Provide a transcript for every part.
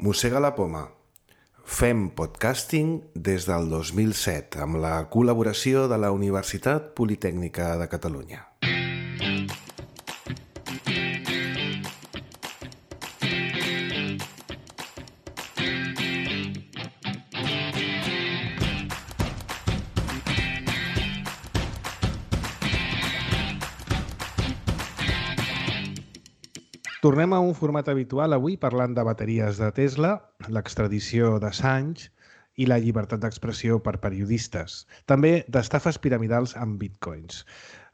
Mossega la poma. Fem podcasting des del 2007 amb la col·laboració de la Universitat Politècnica de Catalunya. Tornem a un format habitual avui parlant de bateries de Tesla, l'extradició d'Assange i la llibertat d'expressió per periodistes. També d'estafes piramidals amb bitcoins.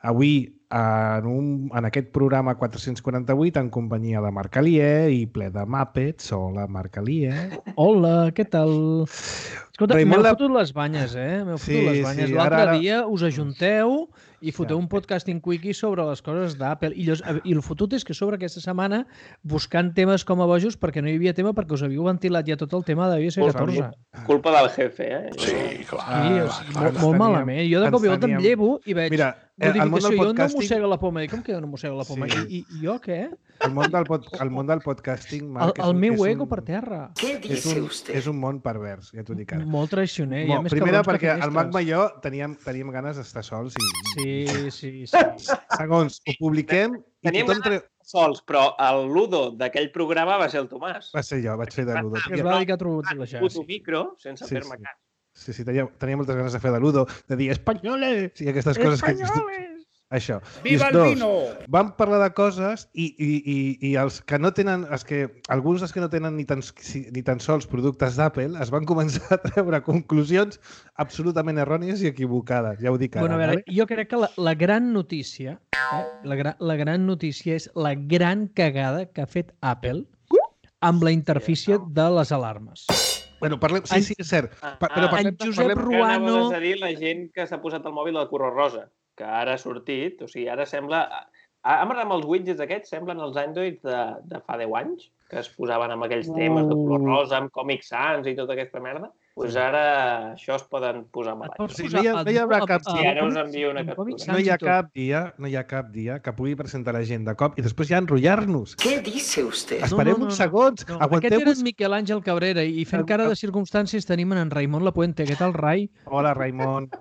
Avui, en aquest programa 448, en companyia de Marc Alier i ple de Muppets. Hola, Marc Alier. Hola, què tal? Escolta, m'heu fotut les banyes, M'heu fotut les banyes. L'altre dia us ajunteu i foteu un podcasting quickie sobre les coses d'Apple. I el fotut és que sobre aquesta setmana, buscant temes com a bojos, perquè no hi havia tema, perquè us havíeu ventilat ja tot el tema de iOS 14. Culpa del jefe, Sí, clar. Molt malament. Jo de cop i volta em llevo i veig... Mira, notificació, jo no mossega la poma. Com que no mossega la poma? I jo què? El món del podcasting, Marc, el meu ego per terra. Què dice usted? És un món pervers, ja t'ho dic ara. Molt traicioner. Primera, perquè el Magma i jo teníem ganes d'estar sols. Sí. Segons, ho publiquem i Teníem tothom... sols, però el Ludo d'aquell programa va ser el Tomàs. Va ser jo, vaig fer de Ludo. Que es va dedicar a trobar-se Puto micro, sense fer-me cas. Sí, tenia moltes ganes de fer de Ludo, de dir espanyoles i aquestes coses que... Això. Viva el vino! Vam parlar de coses i els que no tenen, alguns dels que no tenen ni tan sols productes d'Apple es van començar a treure conclusions absolutament errònies i equivocades. Ja ho dic ara. Bueno, a veure, jo crec que la gran notícia, la gran notícia és la gran cagada que ha fet Apple amb la interfície de les alarmes. Bueno, parlem... Sí, és cert. En Josep Ruano... Que a dir la gent que s'ha posat al mòbil de color rosa, que ara ha sortit, o sigui, ara sembla... Ara amb els widgets aquests semblen els Android de fa 10 anys, que es posaven amb aquells temes de color rosa, amb Comic Sans i tota aquesta merda. Doncs ara això es poden posar malalt. Sí, no hi haurà cap dia. I ara us envio una captura. No hi ha cap dia que pugui presentar la gent de cop i després ja enrotllar-nos. Què dice usted? Esperem uns segons. Aquest era en Miquel Àngel Cabrera i fent cara de circumstàncies tenim en Raimon Lapuente. Què tal, Rai? Hola, Raimon.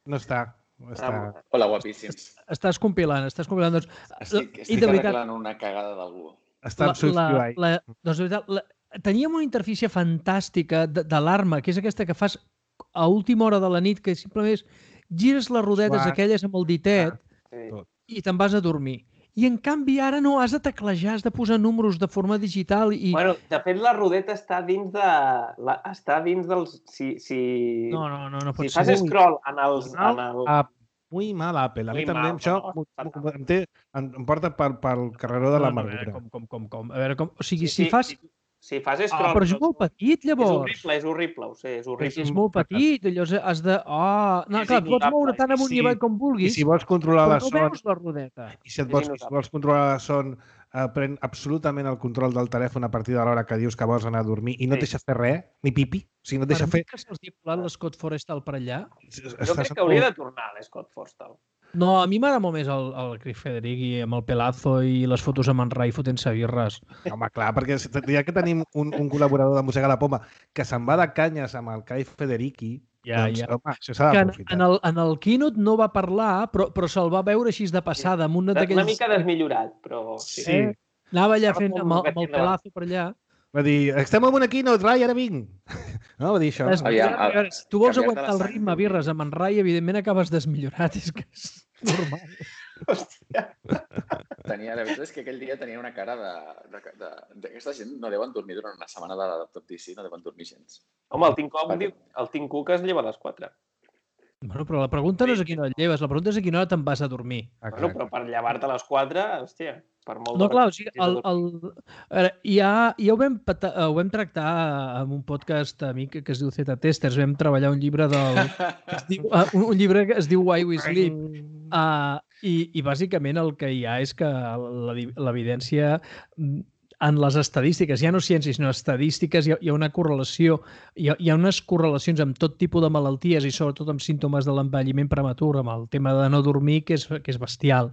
No està. Hola, guapíssims. Estàs compilant. Doncs, estic arreglant una cagada d'algú. Està en subscribe. Doncs, de veritat, teníem una interfície fantàstica d'alarma, que és aquesta que fas a última hora de la nit, que simplement gires les rodetes aquelles amb el ditet i te'n vas a dormir. I, en canvi, ara no, has de teclejar, has de posar números de forma digital i... Bueno, de fet, la rodeta està dins de... Està dins dels... No pot ser. Si fas scroll en els... Muy mal, Apple. A mi també això em porta pel carreró de l'amargura. Com? A veure, o sigui, si fas... Si fas scroll... Però és molt petit, llavors. És horrible, ho sé, és horrible. És molt petit, llavors has de... No, clar, pots moure tant amunt i avall com vulguis, i si vols controlar la però no veus la rodeta. I si vols controlar la son, pren absolutament el control del telèfon a partir de l'hora que dius que vols anar a dormir i no et deixa fer res, ni pipi. O sigui, no et deixa fer... Per mi que se'ls ha volat l'Scott Forrestal per allà. Jo crec que hauria de tornar l'Scott Forrestal. No, a mi m'agrada molt més el Craig Federighi amb el pelazo i les fotos amb en Rai fotent-se birres. Home, clar, perquè ja que tenim un col·laborador de Mossega la Poma que se'n va de canyes amb el Craig Federighi, doncs, home, això s'ha d'aprofitar. En el keynote no va parlar, però se'l va veure així de passada. Amb una mica desmillorat, però... Sí. Anava allà fent amb el pelazo per allà. Va dir, estem en una keynote, Rai, ara vinc. No, va dir això. Si tu vols aguantar el ritme birres amb en Rai, evidentment acabes desmillorat. És que és normal. Hòstia. La veritat és que aquell dia tenia una cara d'aquesta gent no deuen dormir durant una setmana de Top DC, no deuen dormir gens. Home, el Tim Cook es lleva a les 4. Bueno, però la pregunta no és a quina hora et lleves, la pregunta és a quina hora te'n vas a dormir. Bueno, però per llevar-te a les 4, hòstia, per molt... No, clar, o sigui, ja ho vam tractar en un podcast amic que es diu Z Testers, vam treballar un llibre un llibre que es diu Why We Sleep, i bàsicament el que hi ha és que l'evidència en les estadístiques, ja no ciències, sinó estadístiques, hi ha una correlació, hi ha unes correlacions amb tot tipus de malalties i sobretot amb símptomes de l'envelliment prematur, amb el tema de no dormir, que és bestial.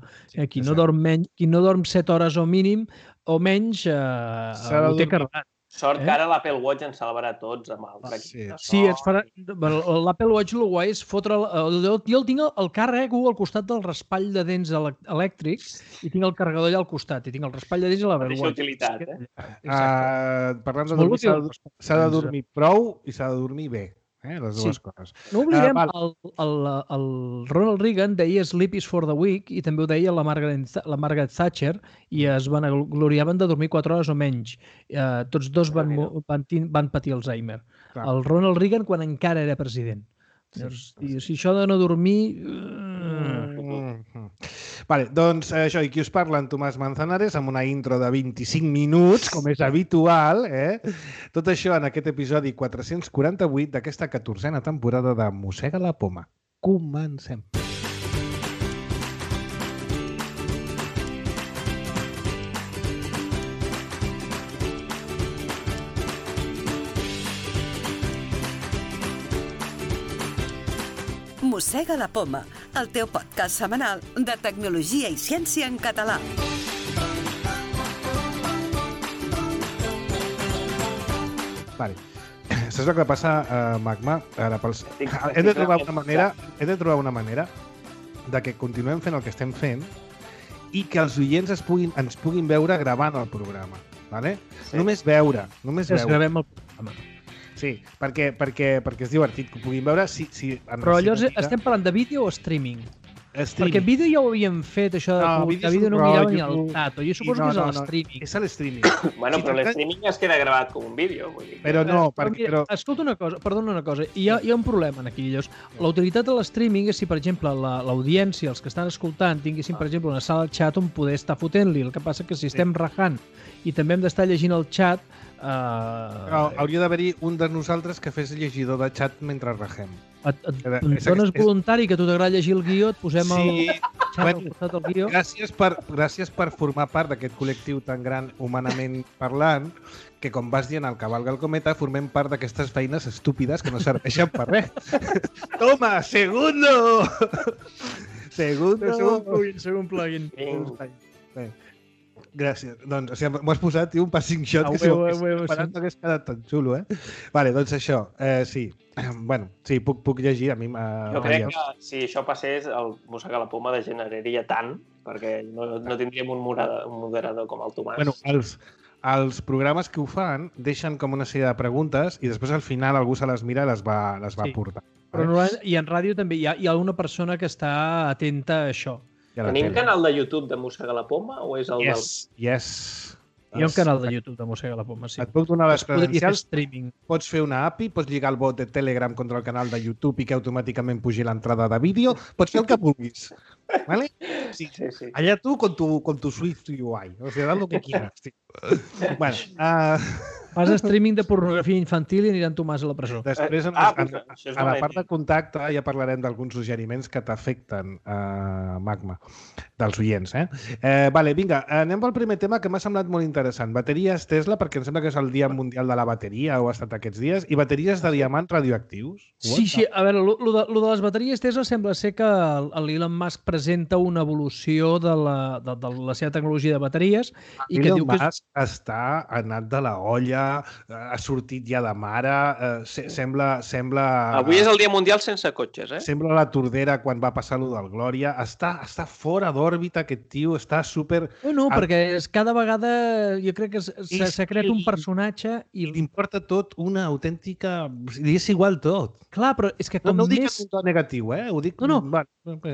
Qui no dorm 7 hores o mínim o menys ho té carregat. Sort que ara l'Apple Watch ens salvarà tots amb el tracking de so. Sí, l'Apple Watch el guai és fotre... Jo el tinc al carrec al costat del raspall de dents elèctric i tinc el carregador allà al costat i tinc el raspall de dents i l'Apple Mateixa Watch. utilitat, Parlant de dormir, s'ha de dormir prou i s'ha de dormir bé. Les dues coses. No oblidem, el Ronald Reagan deia Sleep is for the weak i també ho deia la Margaret Thatcher i es gloriaven de dormir 4 hores o menys. Tots dos van patir Alzheimer. El Ronald Reagan quan encara era president. Si això de no dormir... Vale, doncs això, i qui us parla, en Tomàs Manzanares, amb una intro de 25 minuts, com és habitual, Tot això en aquest episodi 448 d'aquesta 14a temporada de Mossega la Poma. Comencem. Mossega la Poma, el teu podcast setmanal de tecnologia i ciència en català. Vale. Saps el que passa, Magma? Ara, hem de trobar una manera de que continuem fent el que estem fent i que els oients ens puguin veure gravant el programa. Vale? Sí. Només veure. Gravem el programa. Sí, perquè és divertit que ho puguin veure. Però llavors estem parlant de vídeo o streaming? Perquè vídeo ja ho havíem fet, això de vídeo no mirava ni el tato. Jo suposo que és l'streaming. És l'streaming. Bueno, però l'streaming es queda gravat com un vídeo. Però no, perquè... Escolta una cosa, perdona una cosa. Hi ha un problema aquí. La utilitat de l'streaming és si, per exemple, l'audiència, els que estan escoltant, tinguessin, per exemple, una sala de xat on poder estar fotent-li. El que passa que si estem rajant i també hem d'estar llegint el xat... Hauria d'haver-hi un de nosaltres que fes llegidor de xat mentre rajem. Et dones voluntari que tu t'agrada llegir el guió, et posem el xat al costat del guió. Gràcies per formar part d'aquest col·lectiu tan gran humanament parlant que, com vas dient al cavalga el cometa, formem part d'aquestes feines estúpides que no serveixen per res. Toma, segundo! Segon plugin. Gràcies. Doncs m'ho has posat, tio, un passing shot que si ho esperat no hagués quedat tan xulo, Vale, doncs això, sí. Bueno, sí, puc llegir, a mi jo crec que si això passés, el Mossega la Poma degeneraria tant, perquè no tindríem un moderador com el Tomàs. Bueno, els programes que ho fan deixen com una sèrie de preguntes i després al final algú se les mira i les va portar. Però i en ràdio també hi ha una persona que està atenta a això. Tenim canal de YouTube de Mossega la Poma o és el del... Yes. Hi ha un canal de YouTube de Mossega la Poma, sí. Et puc donar les credencials, pots fer una API, pots lligar el bot de Telegram contra el canal de YouTube i que automàticament pugi l'entrada de vídeo, pots fer el que vulguis. ¿Vale? Sí. Allá tú con tu Swift UI, o sea, haz lo que quieras. Bueno, fas streaming de pornografia infantil i aniran Tomàs a la presó. Després, a la part de contacte, ja parlarem d'alguns suggeriments que t'afecten, Magma, dels oients. Vale, vinga, anem pel primer tema que m'ha semblat molt interessant. Bateries Tesla, perquè em sembla que és el Dia Mundial de la Bateria, o ha estat aquests dies, i bateries de diamants radioactius. Sí, a veure, lo de les bateries Tesla sembla ser que l'Elon Musk presenta una evolució de la seva tecnologia de bateries. Elon Musk està anat de la olla, ha sortit ja de mare, sembla... Avui és el Dia Mundial sense cotxes, Sembla la Tordera quan va passar lo del Glòria. Està fora d'òrbita aquest tio, està super... No, perquè cada vegada jo crec que s'ha creat un personatge i... Li importa tot una autèntica... Li és igual tot. Clar, però és que com no ho dic en un to negatiu, ho dic... No.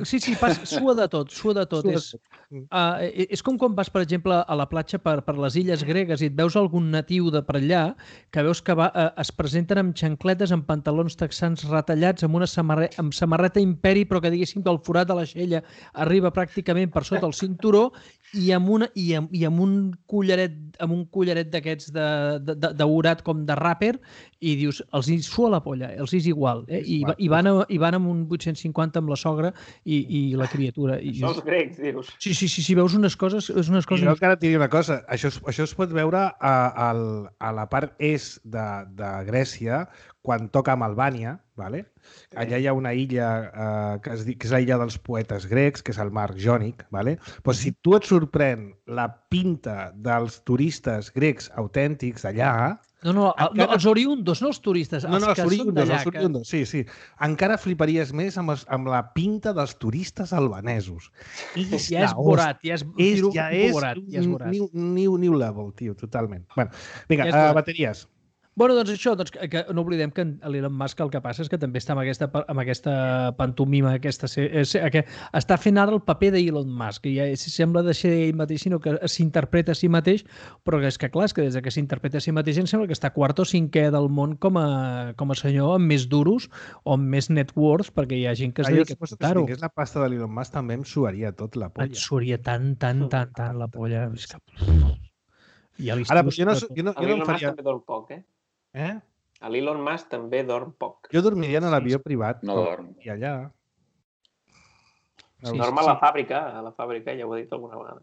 Sí, sua de tot. És com quan vas, per exemple, a la platja per les illes gregues i et veus algun natiu de per allà que veus que es presenten amb xancletes, amb pantalons texans retallats, amb samarreta imperi, però que diguéssim que el forat de l'aixella arriba pràcticament per sota el cinturó i amb un collaret d'aquests daurat com de ràper i dius, els hi sua la polla, els és igual. I van amb un 850 amb la sogra i la criatura. Això els grecs, dius. Sí, veus unes coses... I jo encara et diré una cosa, això es pot veure a la part est de Grècia, quan toca amb Albània, ¿vale? Allà hi ha una illa que és la illa dels poetes grecs, que és el mar Jònic, ¿vale? Però si tu et sorprèn la pinta dels turistes grecs autèntics d'allà, els oriundos, no els turistes, els que són d'allà. Els oriundos, sí. Encara fliparies més amb la pinta dels turistes albanesos. Ja és borat, ja és new level, tio, totalment. Bueno, vinga, bateries. Bueno, doncs això, que no oblidem que l'Elon Musk el que passa és que també està amb aquesta pantomima, que està fent ara el paper d'Elon Musk, que ja sembla de ser ell mateix, sinó que s'interpreta a si mateix, però és que clar, és que des que s'interpreta a si mateix em sembla que està quart o cinquè del món com a senyor amb més duros o amb més net worth, perquè hi ha gent que es dedica a portar-ho. Si tingués la pasta de l'Elon Musk també em suaria tot la polla. Em suaria tant la polla. Ara, jo no em faria... També dorm poc, L'Elon Musk també dorm poc. Jo dormiria en l'avió privat. No dorm. I allà... Dorm a la fàbrica, ja ho he dit alguna vegada.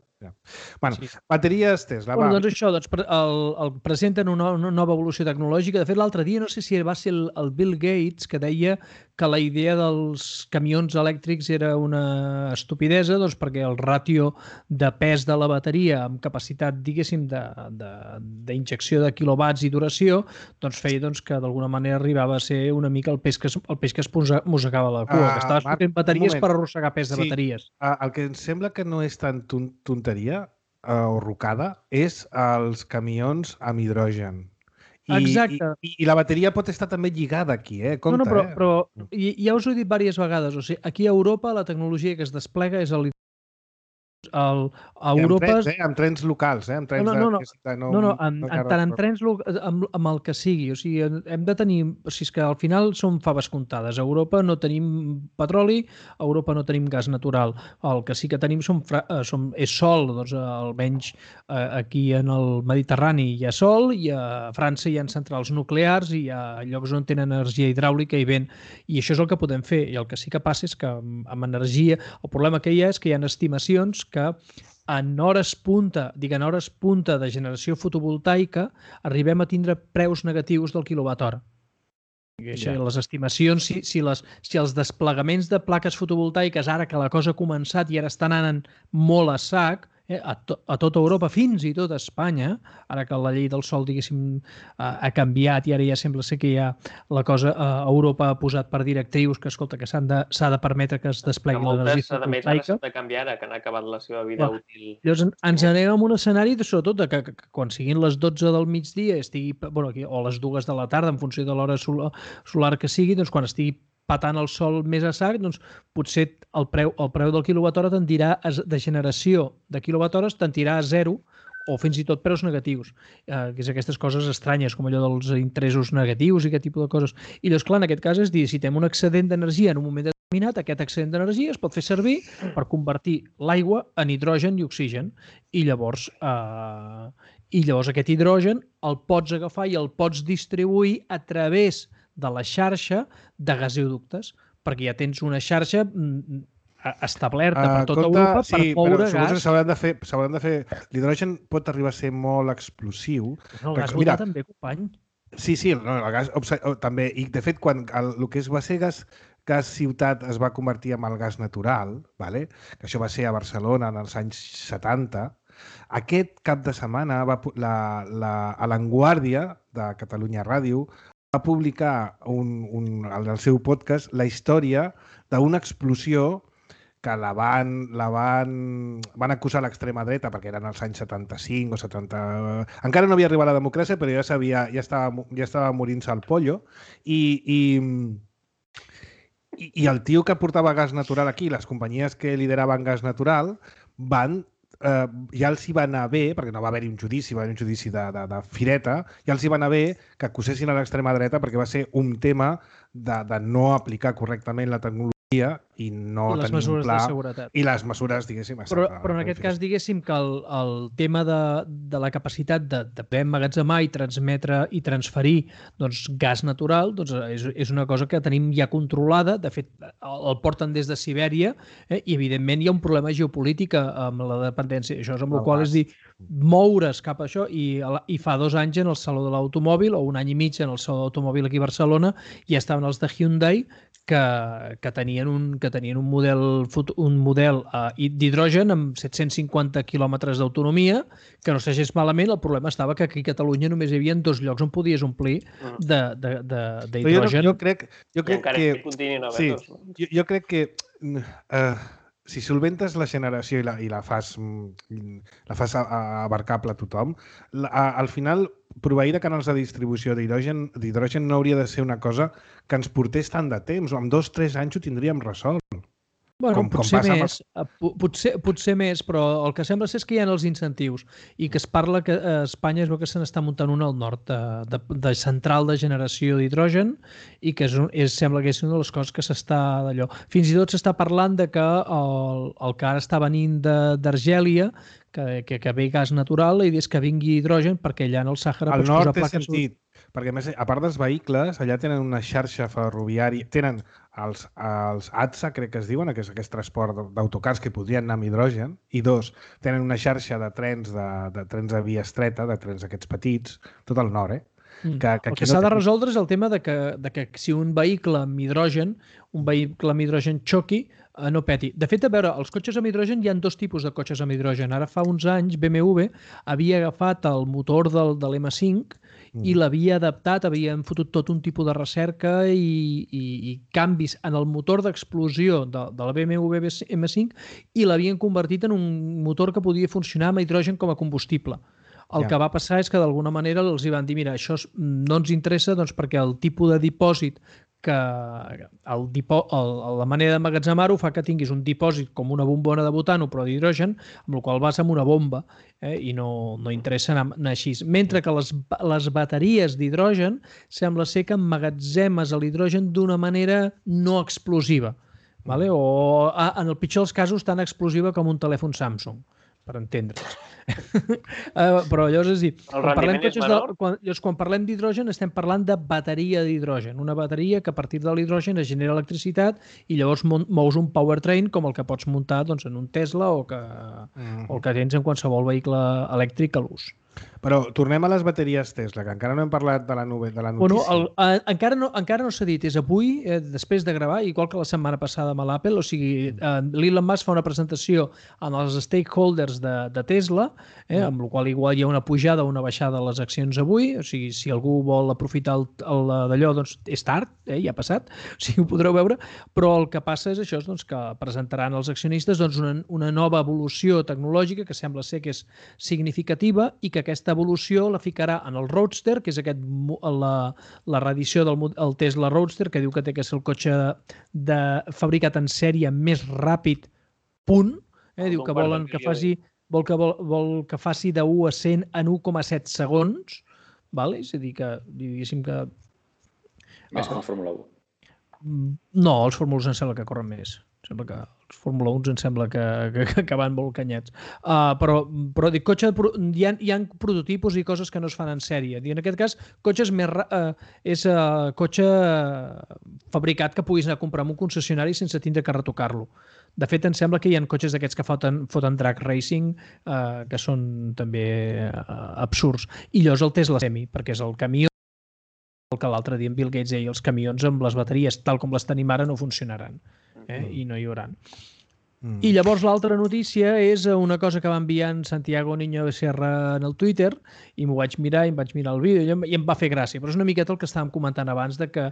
Bueno, bateries Tesla. Doncs això, el presenten una nova evolució tecnològica. De fet, l'altre dia, no sé si va ser el Bill Gates que deia que la idea dels camions elèctrics era una estupidesa, doncs perquè el ràtio de pes de la bateria amb capacitat, diguéssim, d'injecció de quilowatts i duració, doncs feia que d'alguna manera arribava a ser una mica el peix que es mossegava la cua, que estaves fotent bateries per arrossegar pes de bateries. El que em sembla que no és tan tonteria o rocada és els camions amb hidrogen. Exacte. I la bateria pot estar també lligada aquí, compte. Però ja us ho he dit diverses vegades. O sigui, aquí a Europa la tecnologia que es desplega és a Europa... Amb trens locals, amb trens tant en trens amb el que sigui. O sigui, hem de tenir... O sigui, és que al final són faves comptades. A Europa no tenim petroli, a Europa no tenim gas natural. El que sí que tenim és sol, doncs almenys aquí en el Mediterrani hi ha sol, i a França hi ha centrals nuclears, i hi ha llocs on tenen energia hidràulica i vent. I això és el que podem fer. I el que sí que passa és que amb energia... El problema que hi ha és que hi ha estimacions que en hores punta de generació fotovoltaica arribem a tindre preus negatius del quilowatt-hora. Les estimacions, si els desplegaments de plaques fotovoltaiques, ara que la cosa ha començat i ara estan anant molt a sac, a tota Europa, fins i tot a Espanya, ara que la llei del sol, diguéssim, ha canviat i ara ja sembla ser que ja la cosa a Europa ha posat per directrius que, escolta, que s'ha de permetre que es desplegui l'energia fotovoltaica. S'ha de canviar ara, que han acabat la seva vida útil. Llavors ens anem a un escenari, sobretot, que quan siguin les 12 del migdia, o les 2 de la tarda, en funció de l'hora solar que sigui, doncs quan estigui patant el sol més a sac, doncs potser el preu del quilowatt-hora tendirà de generació de quilowatt-hores tendirà a 0 o fins i tot preus negatius, que és aquestes coses estranyes, com allò dels interessos negatius i aquest tipus de coses. I llavors, clar, en aquest cas és dir, si tenim un excedent d'energia en un moment determinat, aquest excedent d'energia es pot fer servir per convertir l'aigua en hidrogen i oxigen. I llavors aquest hidrogen el pots agafar i el pots distribuir a través de la xarxa de gasoductes, perquè ja tens una xarxa establerta per tota Europa per moure gas. S'hauran de fer... L'hidrogen pot arribar a ser molt explosiu. No, el gas butà també, company. Sí, el gas també. I, de fet, quan el que va ser gas ciutat es va convertir en el gas natural, que això va ser a Barcelona en els anys 70, aquest cap de setmana a l'Avantguàrdia de Catalunya Ràdio va publicar en el seu podcast la història d'una explosió que van acusar l'extrema dreta perquè eren els anys 75 o 70... Encara no havia arribat la democràcia, però ja estava morint-se el pollo. I el tio que portava gas natural aquí, les companyies que lideraven gas natural, ja els hi va anar bé, perquè no va haver-hi un judici, va haver un judici de fireta, ja els hi va anar bé que acusessin a l'extrema dreta perquè va ser un tema de no aplicar correctament la tecnologia i no tenir un pla... I les mesures, diguéssim... Però en aquest cas, diguéssim que el tema de la capacitat de poder emmagatzemar i transmetre i transferir gas natural és una cosa que tenim ja controlada. De fet, el porten des de Sibèria i, evidentment, hi ha un problema geopolític amb la dependència. Això és amb el qual és dir, moure's cap a això. I fa 2 anys en el Saló de l'Automòbil, o 1 any i mig en el Saló de l'Automòbil aquí a Barcelona, ja estaven els de Hyundai que tenien un model d'hidrogen amb 750 quilòmetres d'autonomia, que no s'agés malament. El problema estava que aquí a Catalunya només hi havia 2 llocs on podies omplir d'hidrogen. Jo crec encara que... que continuïn a Sí, haver-los. jo crec que si solventes la generació i la fas abarcable a tothom, al final proveir de canals de distribució d'hidrogen no hauria de ser una cosa que ens portés tant de temps. Amb 2-3 anys ho tindríem resolt. Bueno, potser més, però el que sembla ser és que hi ha els incentius i que es parla que a Espanya es veu que se n'està muntant una al nord de central de generació d'hidrogen i que sembla que és una de les coses que s'està d'allò. Fins i tot s'està parlant de que el que ara està venint d'Argèlia, que ve gas natural, la idea és que vingui hidrogen perquè allà en el Sàhara pots posar plaques... Al nord té sentit, perquè a més, a part dels vehicles, allà tenen una xarxa ferroviària, tenen els ATSA, crec que es diuen, que és aquest transport d'autocars que podrien anar amb hidrogen, i 2, tenen una xarxa de trens de via estreta, de trens aquests petits, tot al nord, El que s'ha de resoldre és el tema de que si un vehicle amb hidrogen xoqui, no peti. De fet, a veure, els cotxes amb hidrogen hi ha 2 tipus de cotxes amb hidrogen. Ara fa uns anys BMW havia agafat el motor de l'M5 i l'havia adaptat, havien fotut tot un tipus de recerca i canvis en el motor d'explosió de la BMW M5 i l'havien convertit en un motor que podia funcionar amb hidrogen com a combustible. El que va passar és que d'alguna manera els hi van dir mira, això no ens interessa perquè el tipus de dipòsit la manera d'emmagatzemar-ho fa que tinguis un dipòsit com una bombona de butano però d'hidrogen, amb el qual vas amb una bomba i no interessa anar així. Mentre que les bateries d'hidrogen sembla ser que emmagatzemes l'hidrogen d'una manera no explosiva, o en el pitjor dels casos tan explosiva com un telèfon Samsung, per entendre's. Però llavors és dir, quan parlem d'hidrogen estem parlant de bateria d'hidrogen, una bateria que a partir de l'hidrogen es genera electricitat i llavors mous un powertrain com el que pots muntar en un Tesla o el que tens en qualsevol vehicle elèctric a l'ús. Però tornem a les bateries Tesla, que encara no hem parlat de la notícia. Bueno, encara no s'ha dit, és avui, després de gravar, igual que la setmana passada amb l'Apple, o sigui, l'Elon Musk fa una presentació amb els stakeholders de Tesla, amb la qual igual hi ha una pujada o una baixada de les accions avui, o sigui, si algú vol aprofitar d'allò, doncs és tard, ja ha passat, o sigui, ho podreu veure, però el que passa és això, que presentaran als accionistes una nova evolució tecnològica que sembla ser que és significativa i que aquesta evolució la ficarà en el Roadster, que és la reedició del Tesla Roadster, que diu que té que ser el cotxe fabricat en sèrie més ràpid, punt. Diu que vol que faci de 1 a 100 en 1,7 segons. És a dir, que diguéssim que... Més que la Fórmula 1. No, els Fórmula 1 em sembla que corren més. Sembla que els Fórmula 1 em sembla que van molt canyets. Però dic, hi ha prototipos i coses que no es fan en sèrie. En aquest cas, és cotxe fabricat que puguis anar a comprar en un concessionari sense tindre que retocar-lo. De fet, em sembla que hi ha cotxes d'aquests que foten drag racing que són també absurds. I llavors el Tesla Semi, perquè és el camió que l'altre dia en Bill Gates deia els camions amb les bateries tal com les tenim ara no funcionaran i no hi hauran. I llavors l'altra notícia és una cosa que va enviar en Santiago Niño Becerra en el Twitter i m'ho vaig mirar i em vaig mirar el vídeo i em va fer gràcia, però és una miqueta el que estàvem comentant abans de que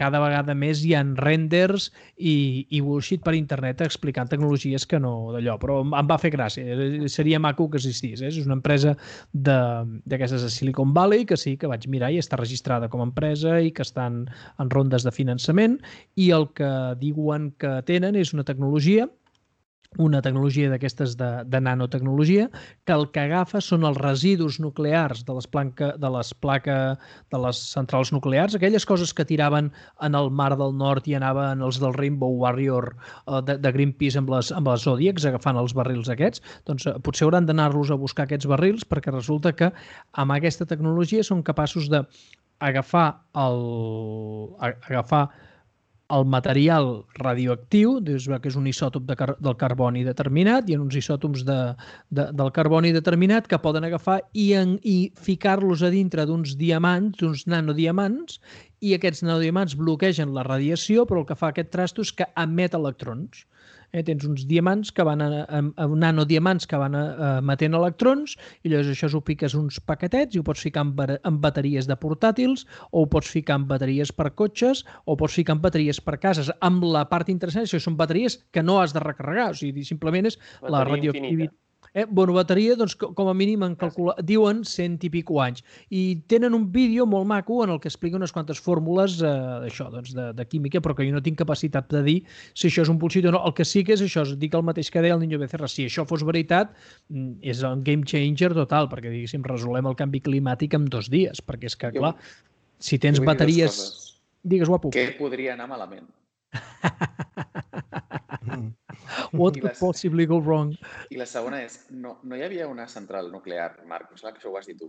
cada vegada més hi ha renders i bullshit per internet explicant tecnologies que no d'allò, però em va fer gràcia, seria maco que existís, és una empresa d'aquestes de Silicon Valley que sí, que vaig mirar i està registrada com a empresa i que estan en rondes de finançament i el que diuen que tenen és una tecnologia d'aquestes de nanotecnologia que el que agafa són els residus nuclears de les centrals nuclears, aquelles coses que tiraven en el Mar del Nord i anaven els del Rainbow Warrior de Greenpeace amb les Zodiacs agafant els barrils aquests, doncs potser hauran d'anar-los a buscar aquests barrils perquè resulta que amb aquesta tecnologia són capaços d'agafar el material radioactiu, dius que és un isòtop del carboni determinat, hi ha uns isòtops del carboni determinat que poden agafar i ficar-los a dintre d'uns diamants, d'uns nanodiamants, i aquests nanodiamants bloquegen la radiació, però el que fa aquest trasto és que emet electrons. Tens uns diamants que van nanodiamants que van emetent electrons i llavors això ho piques uns paquetets i ho pots ficar en bateries de portàtils o ho pots ficar en bateries per cotxes o ho pots ficar en bateries per cases. Amb la part interessant, això són bateries que no has de recarregar, o sigui, simplement és la radioactivitat. Bueno, bateria, doncs, com a mínim diuen 100 i pico anys. I tenen un vídeo molt maco en el que explica unes quantes fórmules d'això, doncs, de química, però que jo no tinc capacitat de dir si això és un bullshit o no. El que sí que és això, dic el mateix que deia el Niño Becerra. Si això fos veritat, és un game changer total, perquè, diguéssim, resolem el canvi climàtic en 2 dies, perquè és que, clar, si tens bateries... Digues, guapo. Què podria anar malament? What could possibly go wrong? I la segona és, no hi havia una central nuclear, Marc, que això ho has dit tu,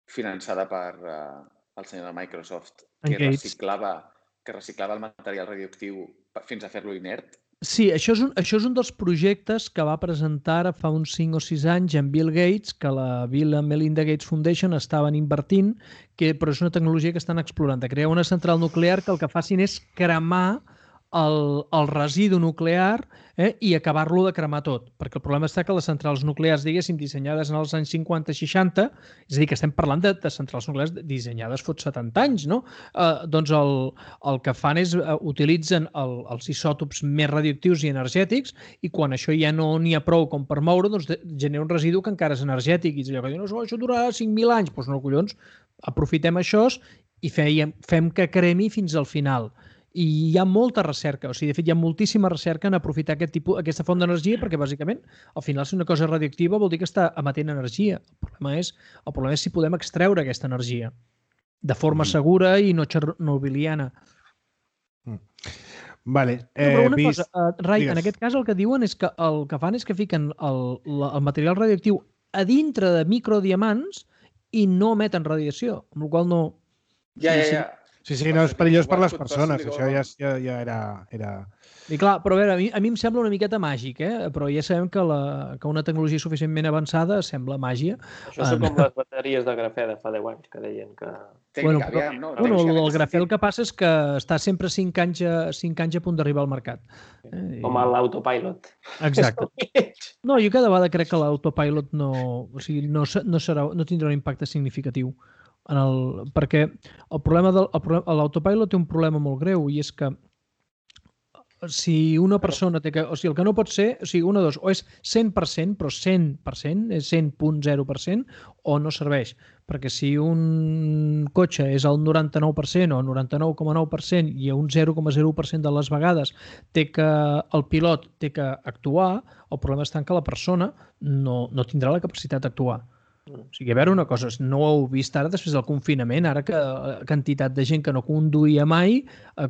finançada per el senyor de Microsoft, que reciclava el material radioactiu fins a fer-lo inert? Sí, això és un dels projectes que va presentar ara fa uns 5 o 6 anys en Bill Gates, que la Bill and Melinda Gates Foundation estaven invertint, però és una tecnologia que estan explorant, de crear una central nuclear que el que facin és cremar el residu nuclear i acabar-lo de cremar tot. Perquè el problema està que les centrals nuclears, diguéssim, dissenyades en els anys 50-60, és a dir, que estem parlant de centrals nuclears dissenyades fot 70 anys, no? Doncs el que fan és utilitzen els isòtops més radioactius i energètics i quan això ja no n'hi ha prou com per moure, doncs genera un residu que encara és energètic. I allò que diuen, això durarà 5.000 anys. Doncs no, collons, aprofitem això i fem que cremi fins al final. I hi ha molta recerca, o sigui, de fet, hi ha moltíssima recerca en aprofitar aquesta font d'energia perquè, bàsicament, al final, si una cosa és radioactiva vol dir que està emetent energia. El problema és si podem extreure aquesta energia de forma segura i no txernobiliana. Vale. Però una cosa, Rai, en aquest cas el que diuen és que el que fan és que fiquen el material radioactiu a dintre de microdiamants i no emeten radiació, amb la qual no... Ja. Sí, no, és perillós per les persones, això ja era... I clar, però a veure, a mi em sembla una miqueta màgic, però ja sabem que una tecnologia suficientment avançada sembla màgia. Això són com les bateries de grafè de fa 10 anys, que deien que... El grafè el que passa és que està sempre 5 anys a punt d'arribar al mercat. Com l'autopilot. Exacte. No, jo cada vegada crec que l'autopilot no tindrà un impacte significatiu. Perquè l'autopilot té un problema molt greu i és que si una persona té que... O sigui, el que no pot ser... O sigui, una de dos, o és 100%, però 100%, és 100.0% o no serveix. Perquè si un cotxe és al 99% o al 99,9% i a un 0,01% de les vegades el pilot té que actuar, el problema està en que la persona no tindrà la capacitat d'actuar. O sigui, a veure una cosa, no ho heu vist ara després del confinament, ara que quantitat de gent que no conduïa mai,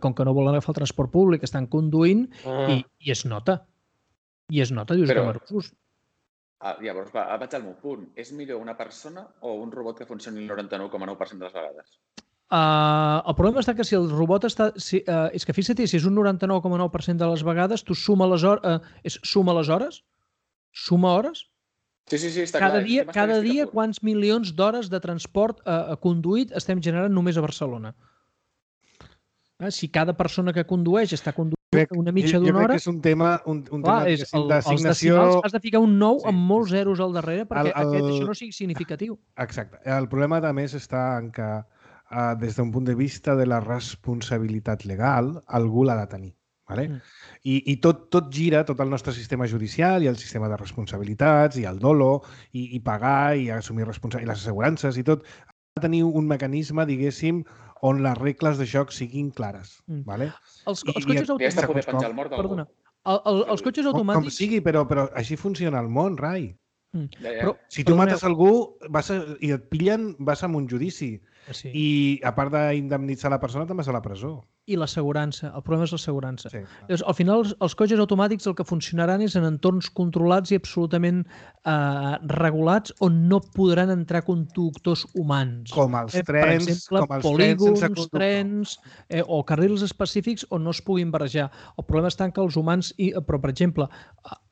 com que no volen agafar el transport públic, estan conduint i es nota. I es nota, dius, que marosos. Llavors, vaig al meu punt. És millor una persona o un robot que funcioni el 99,9% de les vegades? El problema està que si el robot està... És que fixa't, si és un 99,9% de les vegades, tu suma les hores? Suma hores? Sí, està clar. Cada dia quants milions d'hores de transport conduït estem generant només a Barcelona? Si cada persona que condueix està conduint una mitja d'una hora... Jo crec que és un tema d'assignació... Has de ficar un 9 amb molts zeros al darrere perquè això no sigui significatiu. Exacte. El problema, a més, està en que des d'un punt de vista de la responsabilitat legal, algú l'ha de tenir. Vale? I tot gira, tot el nostre sistema judicial i el sistema de responsabilitats i el dolo i pagar i assumir responsabilitats i les assegurances i tot ha de tenir un mecanisme, diguéssim, on les regles de joc siguin clares. Vale? Els cotxes automàtics... Perdona. Els cotxes automàtics... Com sigui, però així funciona el món, Rai. Però, si tu mates algú i et pillen, vas a un judici. I a part d'indemnitzar la persona, te'n vas a la presó. i l'assegurança. El problema és l'assegurança. Sí, Llavors, al final, els cotxes automàtics el que funcionaran és en entorns controlats i absolutament regulats on no podran entrar conductors humans. Com els Per trens, exemple, com els polígons, trens sense conductor. trens o carrils específics on no es puguin barrejar. El problema està en que els humans, però per exemple,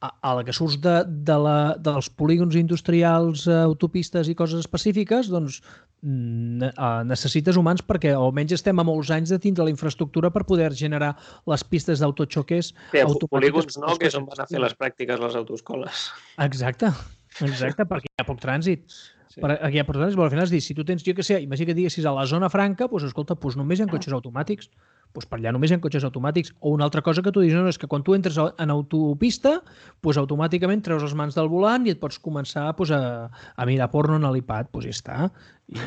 a la que surts dels polígons industrials, autopistes i coses específiques, doncs necessites humans perquè almenys estem a molts anys de tindre la infraestructura per poder generar les pistes d'autoxoques automàtiques. Polígons no, que és on van a fer les pràctiques les autoescoles. Exacte, perquè hi ha poc trànsit. Sí. Aquí hi ha poc trànsit, però al final és dir, si tu tens, jo què sé, imagina que diguessis a la zona franca, doncs escolta, només hi ha cotxes automàtics. Doncs per allà només hi ha cotxes automàtics. O una altra cosa que tu dius, no, és que quan tu entres en autopista, doncs automàticament treus les mans del volant i et pots començar a mirar porno en l'iPad, doncs ja està.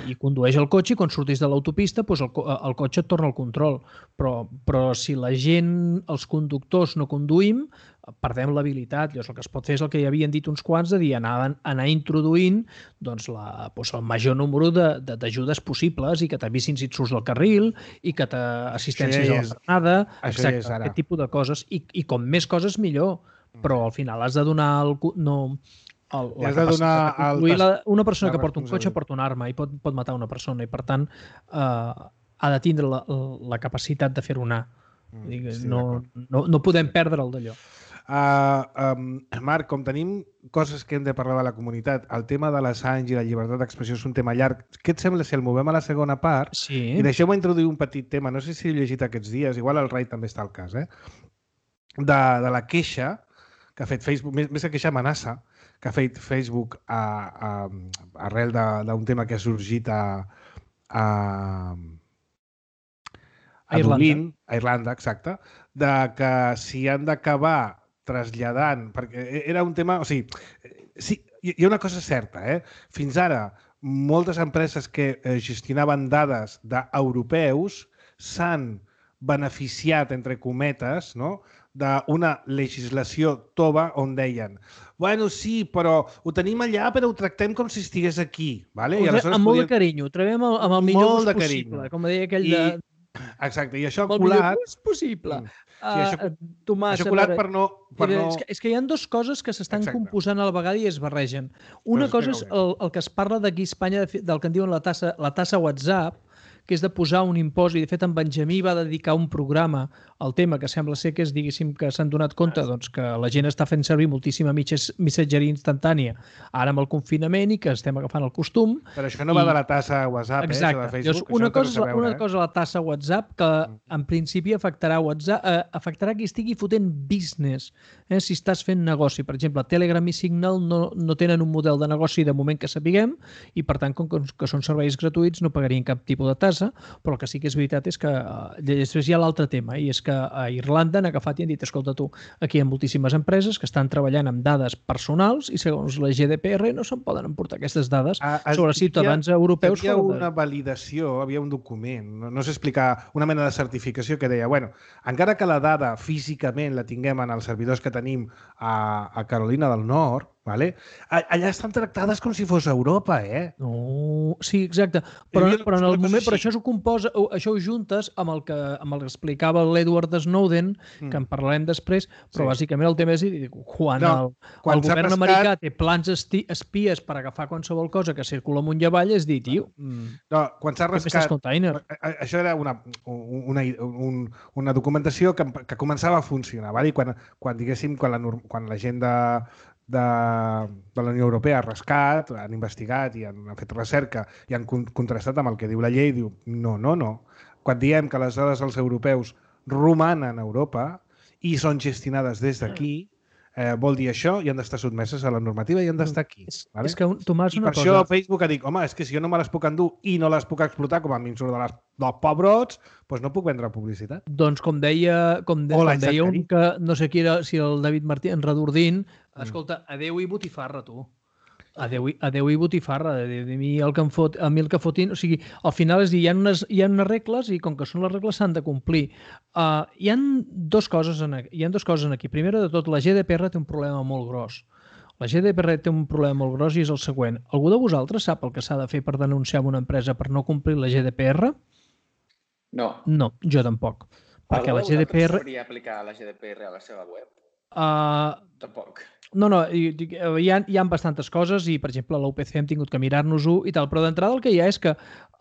I condueix el cotxe i quan surtis de l'autopista doncs el cotxe et torna al control. Però si la gent, els conductors no conduïm, perdem l'habilitat. Llavors el que es pot fer és el que ja havien dit uns quants, de dir anar introduint doncs, el major número d'ajudes possibles i que t'avisin si et surts del carril i que t'assistències a la frenada, exacte, aquest tipus de coses. I com més coses millor, però al final has de donar una persona que porta un cotxe porta una arma i pot matar una persona i per tant ha de tindre la capacitat de fer-ho anar. No podem perdre el d'allò. Marc, com tenim coses que hem de parlar de la comunitat, el tema de l'Assange i la llibertat d'expressió és un tema llarg. Què et sembla si el movem a la segona part? Sí. I deixeu-me introduir un petit tema, no sé si he llegit aquests dies, igual el Rai també està al cas, de la queixa que ha fet Facebook, més que queixa amenaça, que ha fet Facebook arrel d'un tema que ha sorgit a Dublín, a Irlanda, exacte, de que s'hi han d'acabar traslladant, perquè era un tema... O sigui, sí, hi ha una cosa certa, Fins ara, moltes empreses que gestionaven dades d'europeus s'han beneficiat, entre cometes, no?, d'una legislació tova on deien bueno, sí, però ho tenim allà però ho tractem com si estigués aquí. Vale? Amb molt de carinyo, ho trobem amb el millor ús possible, com deia aquell de... Exacte, i això ha colat... El millor ús possible. Tomàs, això colat per no... És que hi ha dues coses que s'estan composant a la vegada i es barregen. Una cosa és el que es parla d'aquí a Espanya, del que en diuen la tassa WhatsApp, que és de posar un impost, i de fet en Benjamí va dedicar un programa al tema, que sembla ser que és, diguéssim, que s'han donat compte doncs, que la gent està fent servir moltíssima missatgeria instantània ara amb el confinament i que estem agafant el costum. Però això no va de la tassa WhatsApp, exacte. Això de Facebook. Una cosa la tassa WhatsApp, que en principi afectarà qui estigui fotent business. Si estàs fent negoci, per exemple, Telegram i Signal no tenen un model de negoci de moment que sapiguem i per tant, com que són serveis gratuïts, no pagarien cap tipus de tassa, però el que sí que és veritat és que després hi ha l'altre tema, i és que a Irlanda han agafat i han dit, escolta tu, aquí hi ha moltíssimes empreses que estan treballant amb dades personals i segons la GDPR no se'n poden emportar aquestes dades sobre ciutadans europeus. Hi havia una validació, havia un document, no sé explicar, una mena de certificació que deia, bueno, encara que la dada físicament la tinguem en els servidors que tenim a Carolina del Nord, vale? Allà estan tractades com si fos Europa, No, sí, exacte. Però en el moment, però això ho juntes amb el que explicava l'Edward Snowden, que en parlarem després, però bàsicament el tema és quan el govern americà té plans espies per agafar qualsevol cosa que circula amunt i avall, és dir, tio... No, quan s'ha rascat... Això era una documentació que començava a funcionar, vale? Quan diguéssim, quan la gent de la Unió Europea ha rascat, han investigat i han fet recerca i han contrastat amb el que diu la llei, diu no. Quan diem que les dades dels europeus romanen a Europa i són gestionades des d'aquí, vol dir això i han d'estar sotmeses a la normativa i han d'estar aquí. Vale? És que, Tomàs, una cosa... I per això Facebook ha dit, home, és que si jo no me les puc endur i no les puc explotar com a mi em surt dels pobrots, doncs no puc vendre publicitat. Doncs com deia un que no sé qui era, si el David Martí, en Redordín, escolta, adeu i botifarra, tu. Adeu i botifarra, a mi el que fotin... O sigui, al final és dir, hi ha unes regles i com que són les regles s'han de complir. Hi ha dues coses aquí. Primer de tot, la GDPR té un problema molt gros. La GDPR té un problema molt gros i és el següent. Algú de vosaltres sap el que s'ha de fer per denunciar una empresa per no complir la GDPR? No. No, jo tampoc. Perquè Algú la de vosaltres GDPR... sabria aplicar la GDPR a la seva web? Tampoc. No, hi ha bastantes coses i, per exemple, a l'UPC hem tingut que mirar-nos-ho i tal, però d'entrada el que hi ha és que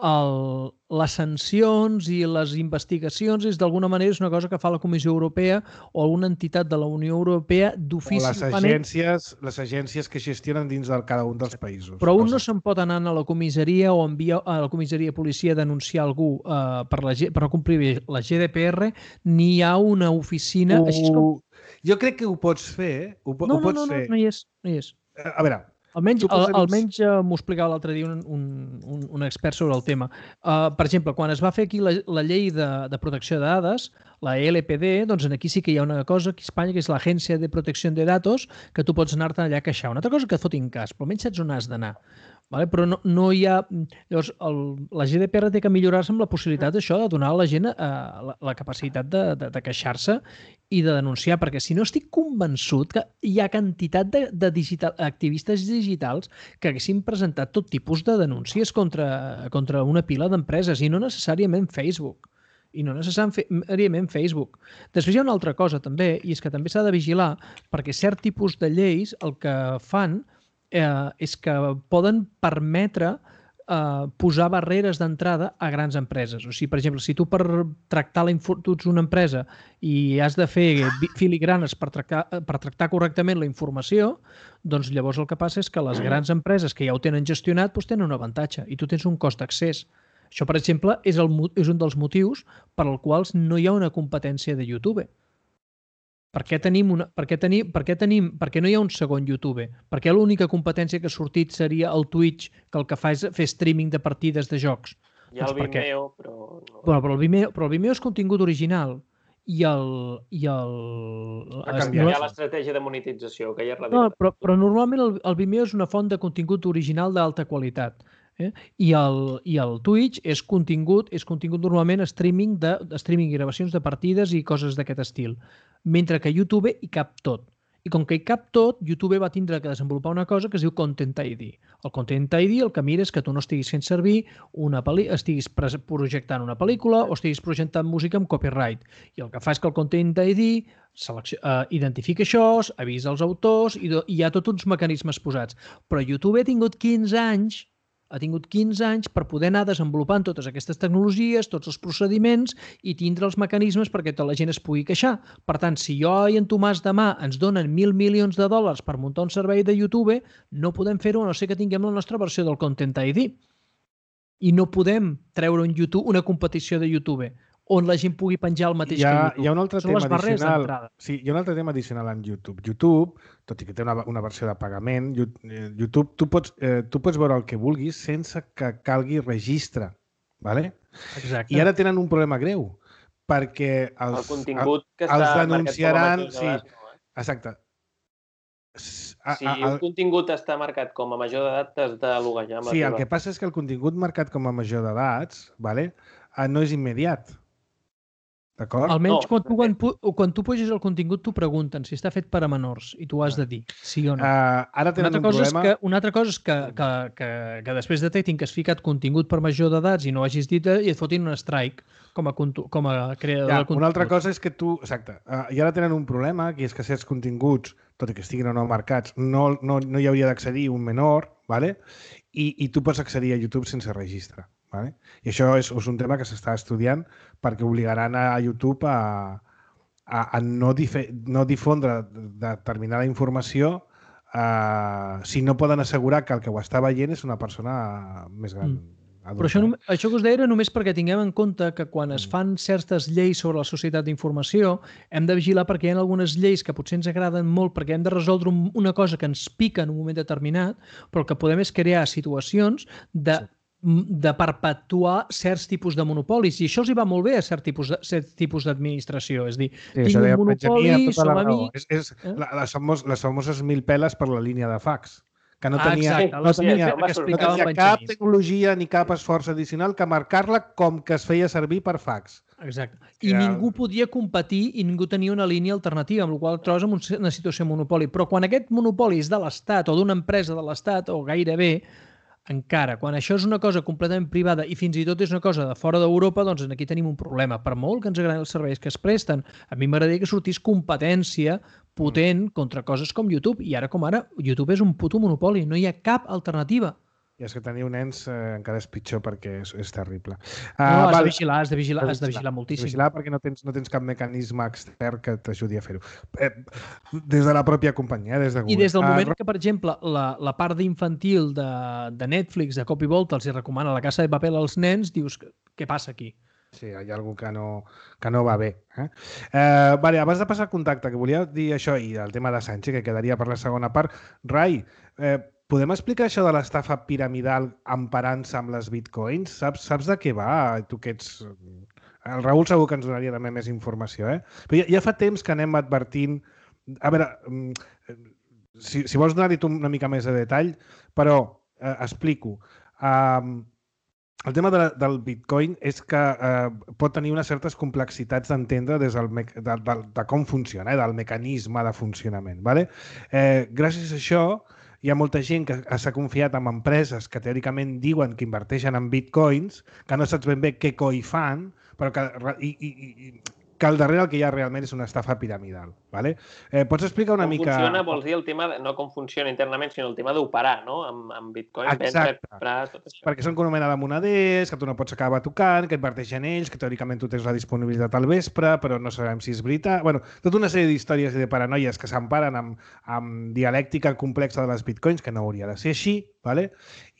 les sancions i les investigacions d'alguna manera és una cosa que fa la Comissió Europea o alguna entitat de la Unió Europea d'ofici. O les agències que gestionen dins de cada un dels països. Però un no se'n pot anar a la comissaria o enviar a la comissaria de policia a denunciar algú per no complir la GDPR, ni hi ha una oficina... Jo crec que ho pots fer. No hi és. A veure... Almenys m'ho explicava l'altre dia un expert sobre el tema. Per exemple, quan es va fer aquí la llei de protecció de dades, la LPD, doncs aquí sí que hi ha una cosa aquí a Espanya, que és l'Agència de Protecció de Datos, que tu pots anar-te allà a queixar. Una altra cosa que et fotin cas, però almenys saps on has d'anar. Vale? Però no hi ha... Llavors, la GDPR té que millorar-se amb la possibilitat d'això, de donar a la gent la capacitat de queixar-se i de denunciar, perquè si no estic convençut que hi ha quantitat d'activistes digitals que haguessin presentat tot tipus de denúncies contra una pila d'empreses i no necessàriament Facebook. Després hi ha una altra cosa també, i és que també s'ha de vigilar perquè cert tipus de lleis el que fan és que poden permetre posar barreres d'entrada a grans empreses. O sigui, per exemple, si tu per tractar tu ets una empresa i has de fer filigranes per tractar correctament la informació, doncs llavors el que passa és que les grans empreses que ja ho tenen gestionat doncs tenen un avantatge i tu tens un cost d'accés. Això, per exemple, és un dels motius per als quals no hi ha una competència de YouTube. Per què no hi ha un segon YouTube? Per què l'única competència que ha sortit seria el Twitch, que el que fa és fer streaming de partides de jocs? Hi ha el Vimeo, però... Però el Vimeo és contingut original. Hi ha l'estratègia de monetització, que ja és no, però normalment el Vimeo és una font de contingut original d'alta qualitat. I el Twitch és contingut normalment streaming i gravacions de partides i coses d'aquest estil. Mentre que YouTube hi cap tot. I com que hi cap tot, YouTube va tindre que desenvolupar una cosa que es diu Content ID. El Content ID el que mira és que tu no estiguis fent servir estiguis projectant una pel·lícula o estiguis projectant música amb copyright. I el que fa és que el Content ID identifica això, avisa els autors i hi ha tots uns mecanismes posats. Però YouTube ha tingut 15 anys per poder anar desenvolupant totes aquestes tecnologies, tots els procediments i tindre els mecanismes perquè tota la gent es pugui queixar. Per tant, si jo i en Tomàs demà ens donen $1.000 milions per muntar un servei de YouTube, no podem fer-ho a no ser que tinguem la nostra versió del Content ID. I no podem treure una competició de YouTube on la gent pugui penjar el mateix que YouTube. Hi ha un altre tema addicional. Sí, hi ha un altre tema addicional en YouTube. YouTube, tot i que té una versió de pagament, YouTube, tu pots veure el que vulguis sense que calgui registre. ¿Vale? Exacte. I ara tenen un problema greu, perquè el contingut que està denunciaran... marcat com a major d'edat. Exacte. Si un contingut està marcat com a major d'edat, t'has de loguejar amb la teva. Sí, el que passa és que el contingut marcat com a major d'edats no és immediat. D'acord? Almenys quan tu puges el contingut t'ho pregunten si està fet per a menors i tu has de dir sí o no. Ara tenen un problema... Una altra cosa és que després detectin que has ficat contingut per major d'edats i no hagis dit i et fotin un strike com a creador de contingut. Una altra cosa és que tu... Exacte. I ara tenen un problema, que és que certs continguts, tot i que estiguin o no marcats, no hi hauria d'accedir un menor, ¿vale? I tu pots accedir a YouTube sense registre. ¿Vale? I això és un tema que s'està estudiant perquè obligaran a YouTube a no difondre determinada informació si no poden assegurar que el que ho està veient és una persona més gran. Però això que us deia era només perquè tinguem en compte que quan es fan certes lleis sobre la societat d'informació hem de vigilar perquè hi ha algunes lleis que potser ens agraden molt perquè hem de resoldre una cosa que ens pica en un moment determinat, però el que podem és crear situacions de perpetuar certs tipus de monopolis. I això els hi va molt bé a cert tipus d'administració. És a dir, tinc un monopoli, som amics... Les famoses 1.000 peles per la línia de fax, que no tenia cap tecnologia ni cap esforç addicional que marcar-la com que es feia servir per fax. Exacte. I ningú podia competir i ningú tenia una línia alternativa, amb la qual trobes en una situació de monopoli. Però quan aquest monopoli és de l'Estat o d'una empresa de l'Estat o gairebé, encara. Quan això és una cosa completament privada i fins i tot és una cosa de fora d'Europa, doncs aquí tenim un problema. Per molt que ens agradin els serveis que es presten, a mi m'agradaria que sortís competència potent contra coses com YouTube. I ara com ara, YouTube és un puto monopoli. No hi ha cap alternativa. I és que teniu nens encara és pitjor perquè és terrible. No, has de vigilar moltíssim. Vigilar perquè no tens cap mecanisme extern que t'ajudi a fer-ho. Des de la pròpia companyia, des de Google. I des del moment que, per exemple, la part d'infantil de Netflix, de cop i volta, els recomana La Casa de Papel als nens, dius, què passa aquí? Sí, hi ha alguna que no va bé. Vale, abans de passar al contacte, que volia dir això i el tema de Sánchez, que quedaria per la segona part. Rai, podem explicar això de l'estafa piramidal emparant-se amb les bitcoins? Saps de què va? Tu que ets... El Raül segur que ens donaria també més informació, Però ja fa temps que anem advertint... A veure, si vols donar-hi tu una mica més de detall, però explico. El tema del bitcoin és que pot tenir unes certes complexitats d'entendre des de com funciona, del mecanisme de funcionament. Gràcies a això, hi ha molta gent que s'ha confiat en empreses que teòricament diuen que inverteixen en bitcoins, que no saps ben bé què coi fan, però que al darrere el que hi ha realment és una estafa piramidal. Pots explicar una mica... Com funciona, vols dir el tema, no com funciona internament, sinó el tema d'operar, no? Amb bitcoin, vendre, comprar, tot això. Perquè són com una mena de moneders, que tu no pots acabar tocant, que inverteixen ells, que teòricament tu tens la disponibilitat al vespre, però no sabem si és veritat. Bueno, tota una sèrie d'històries i de paranoies que s'emparen amb dialèctica complexa de les bitcoins, que no hauria de ser així,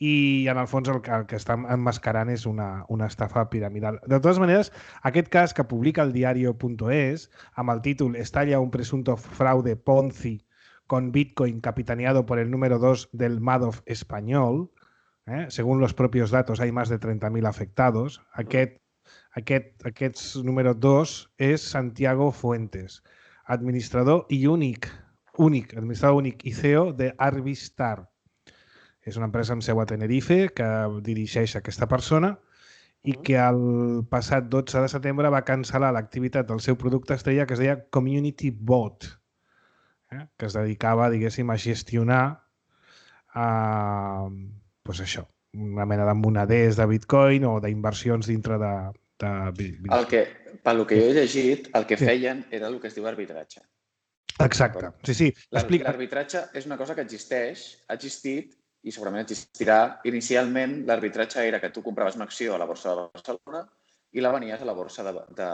i en el fons el que està emmascarant és una estafa piramidal. De totes maneres, aquest cas que publica el diario.es amb el títol «Estalla un presunto fraude Ponzi con Bitcoin capitaneado por el número 2 del Madoff español», según los propios datos hay más de 30.000 afectados. Aquest número 2 és Santiago Fuentes, administrador únic i CEO de Arbistar. És una empresa amb seu a Tenerife que dirigeix aquesta persona i que el passat 12 de setembre va cancel·lar l'activitat del seu producte estrella que es deia Community Bot, que es dedicava, diguéssim, a gestionar això, una mena de moneders de bitcoin o d'inversions dintre de bitcoin. Pel que jo he llegit, el que feien era el que es diu arbitratge. Exacte, sí. L'arbitratge és una cosa que existeix, ha existit i segurament existirà. Inicialment, l'arbitratge era que tu compraves una acció a la borsa de Barcelona i la venies a la borsa de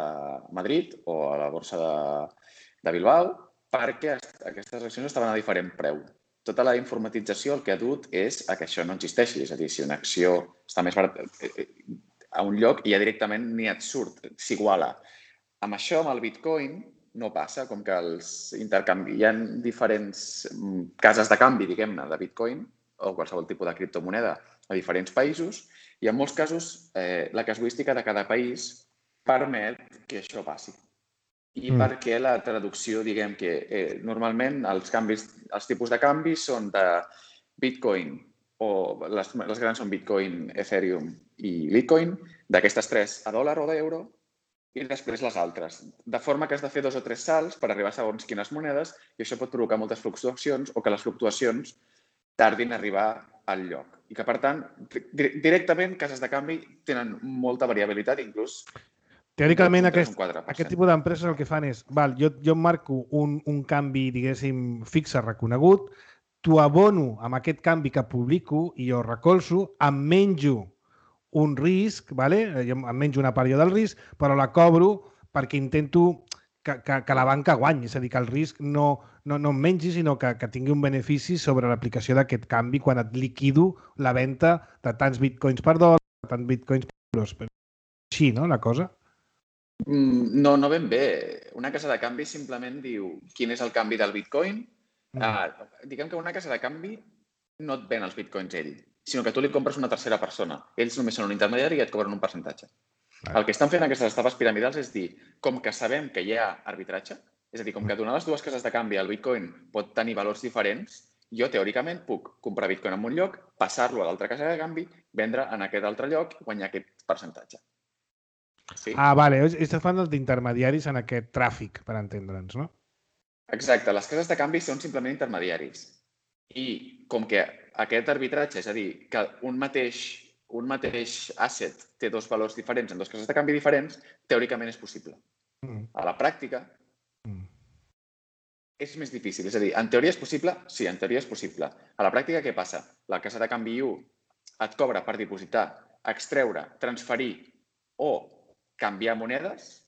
Madrid o a la borsa de Bilbao perquè aquestes accions estaven a diferent preu. Tota la informatització el que ha dut és que això no existeixi. És a dir, si una acció està més barata a un lloc i ja directament ni et surt, s'iguala. Amb això, amb el bitcoin, no passa, com que hi ha diferents cases de canvi, diguem-ne, de bitcoin o qualsevol tipus de criptomoneda a diferents països i en molts casos la casuística de cada país permet que això passi. I perquè la traducció, diguem que normalment els tipus de canvi són de Bitcoin o les grans són Bitcoin, Ethereum i Litecoin, d'aquestes tres a dòlar o d'euro i després les altres. De forma que has de fer 2 o 3 salts per arribar a segons quines monedes i això pot provocar moltes fluctuacions o que les fluctuacions tardin a arribar al lloc. I que, per tant, directament, cases de canvi tenen molta variabilitat, inclús... Teòricament, aquest tipus d'empreses el que fan és, jo marco un canvi, diguéssim, fixe reconegut, t'ho abono amb aquest canvi que publico i jo recolzo, em menjo un risc, jo em menjo una part del risc, però la cobro perquè intento que la banca guanyi, és a dir, que el risc no em mengi, sinó que tingui un benefici sobre l'aplicació d'aquest canvi quan et liquido la venda de tants bitcoins per dòlar, tants bitcoins per euros. Així, no, la cosa? No ben bé. Una casa de canvi simplement diu quin és el canvi del bitcoin. Diguem que una casa de canvi no et ven els bitcoins ell, sinó que tu li compres una tercera persona. Ells només són un intermediari i et cobren un percentatge. El que estan fent aquestes estafes piramidals és dir, com que sabem que hi ha arbitratge, és a dir, com que donar les dues cases de canvi el bitcoin pot tenir valors diferents, jo teòricament puc comprar bitcoin en un lloc, passar-lo a l'altra casa de canvi, vendre en aquest altre lloc i guanyar aquest percentatge. Sí? Vale. Estàs fan d'intermediaris en aquest tràfic, per entendre'ns, no? Exacte. Les cases de canvi són simplement intermediaris. I com que aquest arbitratge, és a dir, que un mateix asset té dos valors diferents en dos cases de canvi diferents, teòricament és possible. A la pràctica és més difícil. És a dir, en teoria és possible? Sí, en teoria és possible. A la pràctica què passa? La casa de canvi U et cobra per dipositar, extreure, transferir o canviar monedes.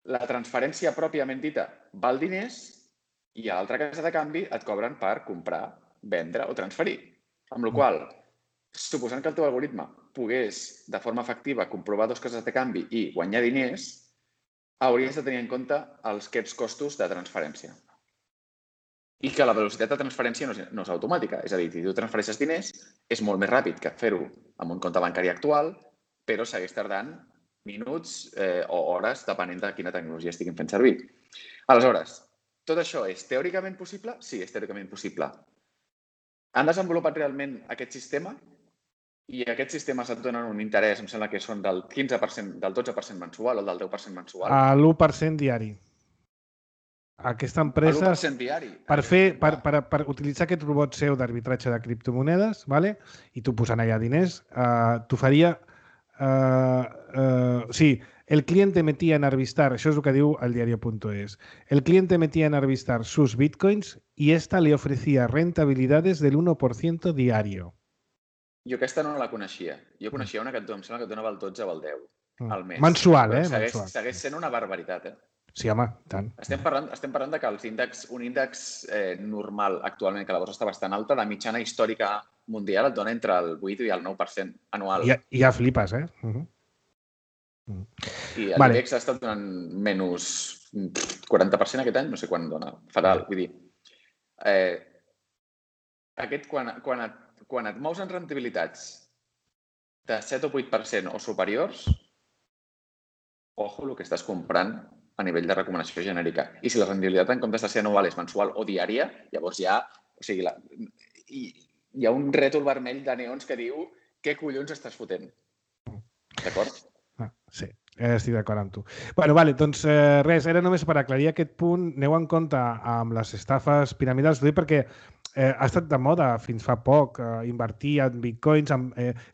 La transferència pròpiament dita val diners i a l'altra casa de canvi et cobren per comprar, vendre o transferir. Amb la qual cosa, suposant que el teu algoritme pogués de forma efectiva comprovar dos cases de canvi i guanyar diners, hauries de tenir en compte aquests costos de transferència. I que la velocitat de transferència no és automàtica. És a dir, si tu transfereixes diners, és molt més ràpid que fer-ho amb un compte bancari actual, però segueix tardant minuts o hores, depenent de quina tecnologia estiguin fent servir. Aleshores, tot això és teòricament possible? Sí, és teòricament possible. Han desenvolupat realment aquest sistema i aquests sistemes et donen un interès, em sembla que són del 15%, del 12% mensual o del 10% mensual. L'1% diari. Aquesta empresa, l'1% diari. per utilitzar aquest robot seu d'arbitratge de criptomonedes, ¿vale? I tu posant allà diners, t'oferia... sí, el cliente metía en Arbistar, això és el que diu el diario.es, el cliente metía en Arbistar sus bitcoins y esta le ofrecía rentabilidades del 1% diario. Jo aquesta no la coneixia. Jo coneixia una que em sembla que et donava el 12 o el 10 al mes. Mensual, Segueix sent una barbaritat, Sí, home, tant. Estem parlant de que un índex normal actualment, que la borsa està bastant alta, la mitjana històrica mundial et dona entre el 8 i el 9% anual. I ja flipes, I l'IBEX ha estat donant menys 40% aquest any, no sé quan dona. Fatal, vull dir. Quan et mous en rentabilitats de 7 o 8% o superiors, ojo el que estàs comprant a nivell de recomanació genèrica. I si la rendibilitat en comptes de ser anual és mensual o diària, llavors ja... O sigui, hi ha un rètol vermell de neons que diu què collons estàs fotent. D'acord? Sí, estic d'acord amb tu. Bueno, vale, doncs res, era només per aclarir aquest punt. Aneu en compte amb les estafes piramidals, perquè ha estat de moda fins fa poc invertir en bitcoins.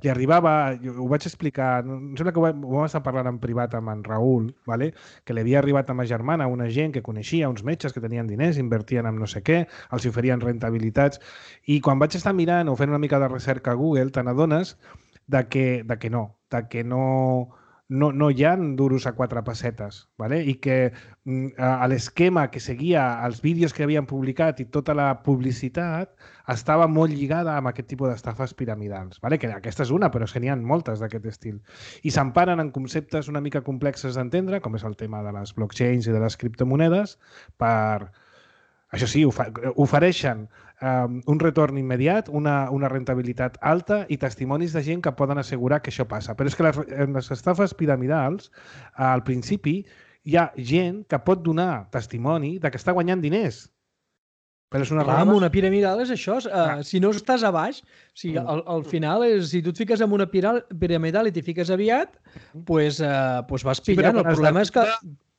Li arribava, ho vaig explicar, em sembla que ho vam estar parlant en privat amb en Raül, vale? Que li havia arribat a ma germana una gent que coneixia, uns metges que tenien diners, invertien en no sé què, els oferien rentabilitats. I quan vaig estar mirant o fent una mica de recerca a Google, te n'adones que no hi ha duros a 4 pessetes, ¿vale? I que l'esquema que seguia els vídeos que havien publicat i tota la publicitat estava molt lligada amb aquest tipus d'estafes piramidals, ¿vale? Que aquesta és una, però n'hi ha moltes d'aquest estil. I s'emparen en conceptes una mica complexes d'entendre, com és el tema de les blockchains i de les criptomonedes, per... Això sí, ofereixen un retorn immediat, una rentabilitat alta i testimonis de gent que poden assegurar que això passa. Però és que en les estafes piramidals, al principi, hi ha gent que pot donar testimoni de que està guanyant diners. Però és una Clar, amb una piramidal és això. Si no estàs a baix, al final, si tu et fiques en una piramidal i t'hi fiques aviat, doncs vas pillant. El problema és que...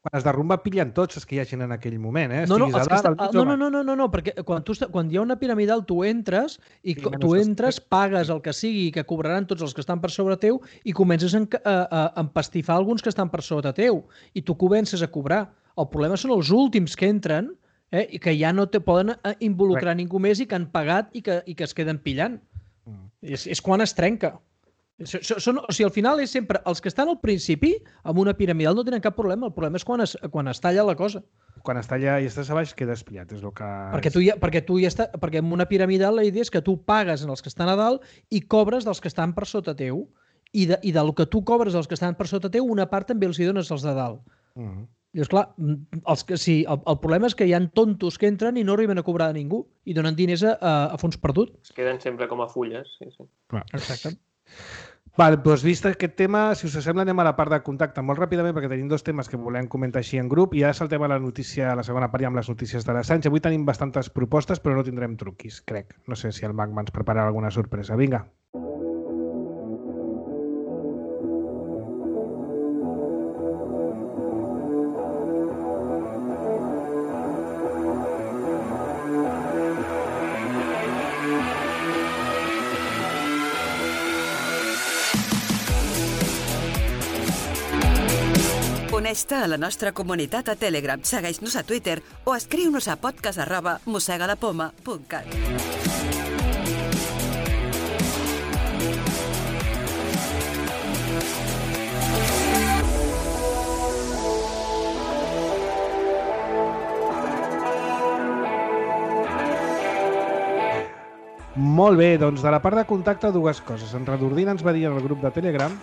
Quan es derrumba, pillen tots els que hi hagin en aquell moment. No, perquè quan hi ha una piramidal tu entres i tu entres, pagues el que sigui que cobraran tots els que estan per sobre teu i comences a empastifar alguns que estan per sota teu i tu comences a cobrar. El problema són els últims que entren i que ja no te poden involucrar ningú més i que han pagat i que es queden pillant. És quan es trenca. O sigui, al final és sempre els que estan al principi amb una piramidal no tenen cap problema. El problema és quan es talla la cosa. Quan es talla i estàs a baix quedes pillat, és el que... Perquè amb una piramidal la idea és que tu pagues en els que estan a dalt i cobres dels que estan per sota teu. I del que tu cobres dels que estan per sota teu, una part també els hi dones als de dalt. Llavors, clar, el problema és que hi ha tontos que entren i no arriben a cobrar a ningú i donen diners a fons perdut. Es queden sempre com a fulles. Sí. Exacte. Vale, doncs vist aquest tema, si us sembla, anem a la part de contacte molt ràpidament perquè tenim 2 temes que volem comentar així en grup i ara saltem a la notícia, a la segona part ja amb les notícies de l'Assange. Avui tenim bastantes propostes però no tindrem truquis, crec. No sé si el Magma ens prepararà alguna sorpresa. Vinga. Uneix-te a la nostra comunitat a Telegram, segueix-nos a Twitter o escriu-nos a podcast@mossegalapoma.cat. Molt bé, doncs de la part de contacte dues coses. En Redordina ens va dir en el grup de Telegram,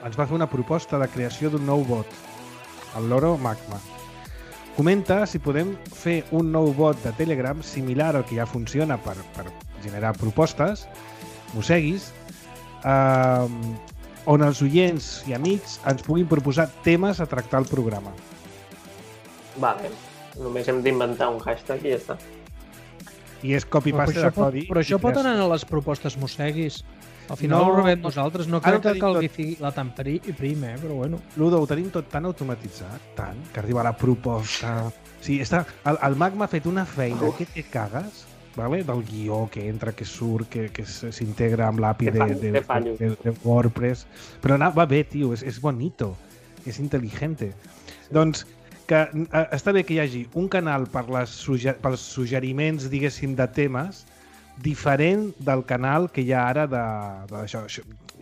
ens va fer una proposta de creació d'un nou bot, el Loro Magma. Comenta si podem fer un nou bot de Telegram similar al que ja funciona per generar propostes, mosseguis, on els oients i amics ens puguin proposar temes a tractar al programa. Vale, només hem d'inventar un hashtag i ja està. I és copy-paste de codi. Però això pot anar a les propostes mosseguis. Al final No, ho rebem nosaltres. No ara crec que ho tenim calgui la tan prim, però bueno. Ludo, ho tenim tot tan automatitzat, tant, que arriba la proposta... Sí, el Magma ha fet una feina que te cagues, vale? Del guió que entra, que surt, que s'integra amb l'API de WordPress. Però va bé, tio, és bonito, és intel·ligente. Doncs que està bé que hi hagi un canal pels suggeriments, diguéssim, de temes diferent del canal que hi ha ara d'això.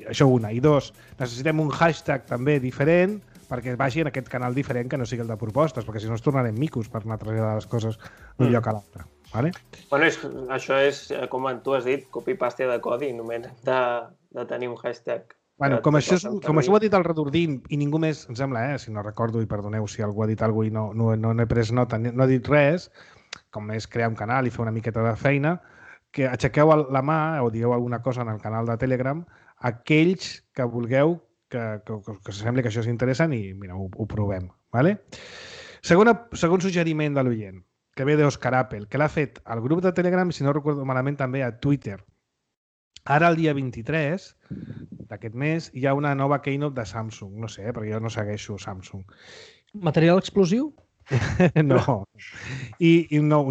Això una. I dos, necessitem un hashtag també diferent perquè vagi en aquest canal diferent que no sigui el de propostes, perquè si no ens tornarem micos per anar traslladant les coses d'un lloc a l'altre. Vale? Bueno, això és, com tu has dit, copy-paste de codi, només de tenir un hashtag. Bueno, com això ho ha dit el Redordín i ningú més, em sembla, si no recordo, i perdoneu si algú ha dit alguna cosa i no n'he pres nota, no ha dit res, com és crear un canal i fer una miqueta de feina, que aixequeu la mà o digueu alguna cosa en el canal de Telegram aquells que vulgueu que sembli que això és interessant i mira, ho provem. Vale? Segon suggeriment de l'oient, que ve d'Òscar Apple, que l'ha fet al grup de Telegram i, si no recordo malament, també a Twitter. Ara, el dia 23 d'aquest mes, hi ha una nova keynote de Samsung. No sé, perquè jo no segueixo Samsung. Material explosiu? No. I un nou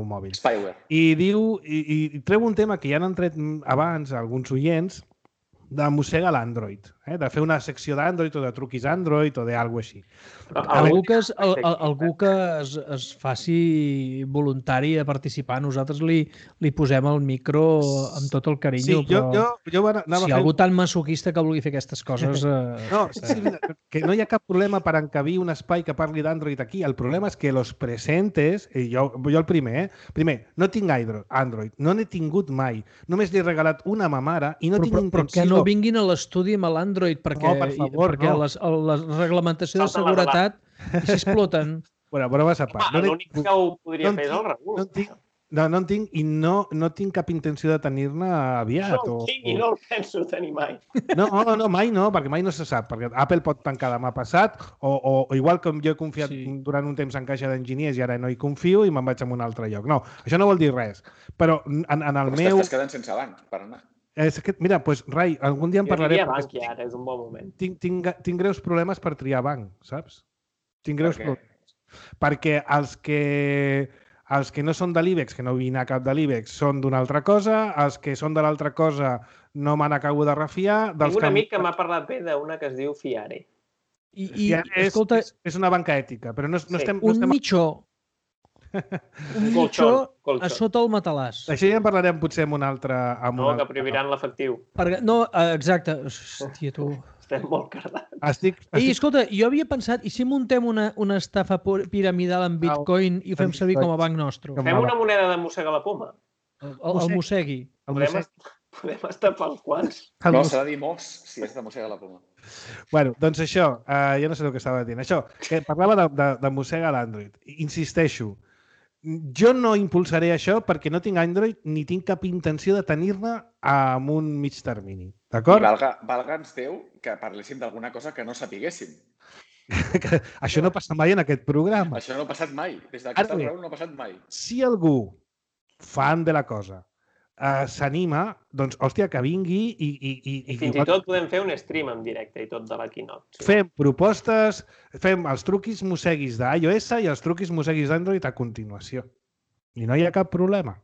mòbil. Spyware. I diu, i treu un tema que ja han tret abans alguns oients, de mossega l'Android, de fer una secció d'Android o de truquis Android o d'algú així. Algú que es faci voluntari a participar, nosaltres li posem el micro amb tot el carinyo, sí, però jo anava si algú tan masoquista que vulgui fer aquestes coses... No, que no hi ha cap problema per encabir un espai que parli d'Android aquí. El problema és que los presentes, i jo el primer, no tinc Android, no n'he tingut mai. Només li he regalat una a ma mare i no tinc intenció... Però que no vinguin a l'estudi amb l'Android perquè la reglamentació de seguretat i s'exploten. Bueno, vas a part. L'únic que ho podria fer és el Raül. No en tinc i no tinc cap intenció de tenir-ne aviat. No en tinc i no el penso tenir mai. No, mai no, perquè mai no se sap. Perquè Apple pot tancar demà passat o igual com jo he confiat durant un temps en caixa d'enginyers i ara no hi confio i me'n vaig a un altre lloc. No, això no vol dir res. Però en el meu... Estàs quedant sense banc per anar. Mira, doncs, Rai, algun dia en parlaré... Jo diria banc ja, ara és un bon moment. Tinc greus problemes per triar banc, saps? Tinc greus problemes. Perquè els que no són de l'IBEX, que no vull anar cap de l'IBEX, són d'una altra cosa, els que són de l'altra cosa no me n'acabo de refiar... Tinc un amic que m'ha parlat bé d'una que es diu Fiare. Escolta... És una banca ètica, però no estem... Un mitjó a sota el matalàs. Això ja en parlarem potser amb un altre... No, que prohibiran l'efectiu. No, exacte. Hòstia, tu... Estem molt cardats. Escolta, jo havia pensat, i si muntem una estafa piramidal en Bitcoin i ho fem servir com a banc nostre? Fem una moneda de mossega la poma. El mossegui. Podem estar pels quals. No, s'ha de dir mos, si és de mossega la poma. Bueno, doncs això, jo no sé el que estava dient. Això, que parlava de mossega l'Android. Insisteixo, jo no impulsaré això perquè no tinc Android ni tinc cap intenció de tenir-ne amb un mig termini. D'acord? I valga'ns Déu que parléssim d'alguna cosa que no sapiguéssim. Això no passa mai en aquest programa. Això no ha passat mai. Des d'aquesta raó no ha passat mai. Si algú, fan de la cosa, s'anima, doncs, hòstia, que vingui i fins i tot podem fer un stream en directe i tot de la keynote. Sí. Fem propostes, fem els truquis mosseguis d'iOS i els truquis mosseguis d'Android a continuació. I no hi ha cap problema.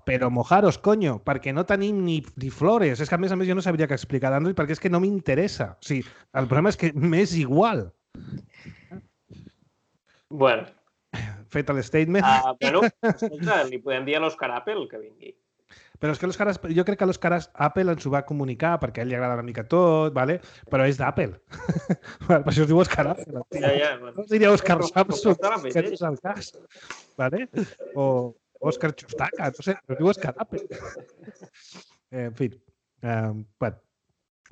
Però mojaros, coño, perquè no tenim ni flores. És que, a més, jo no sabria què explicar d'Android perquè és que no m'interessa. O sigui, el problema és que m'és igual. Bueno. Fet el statement. Bueno, escolta, li podem dir a l'Òscar Apple que vingui. Però és que jo crec que l'Òscar Apple ens ho va comunicar perquè a ell li agrada una mica tot, vale? Però és d'Apple. Per això es diu Òscar Apple. Ja, bueno. No es diria Òscar Samsung, Totalment, que no és el cas. Vale? O Òscar Chustaka, no sé, però es diu Òscar Apple. En fi, bueno.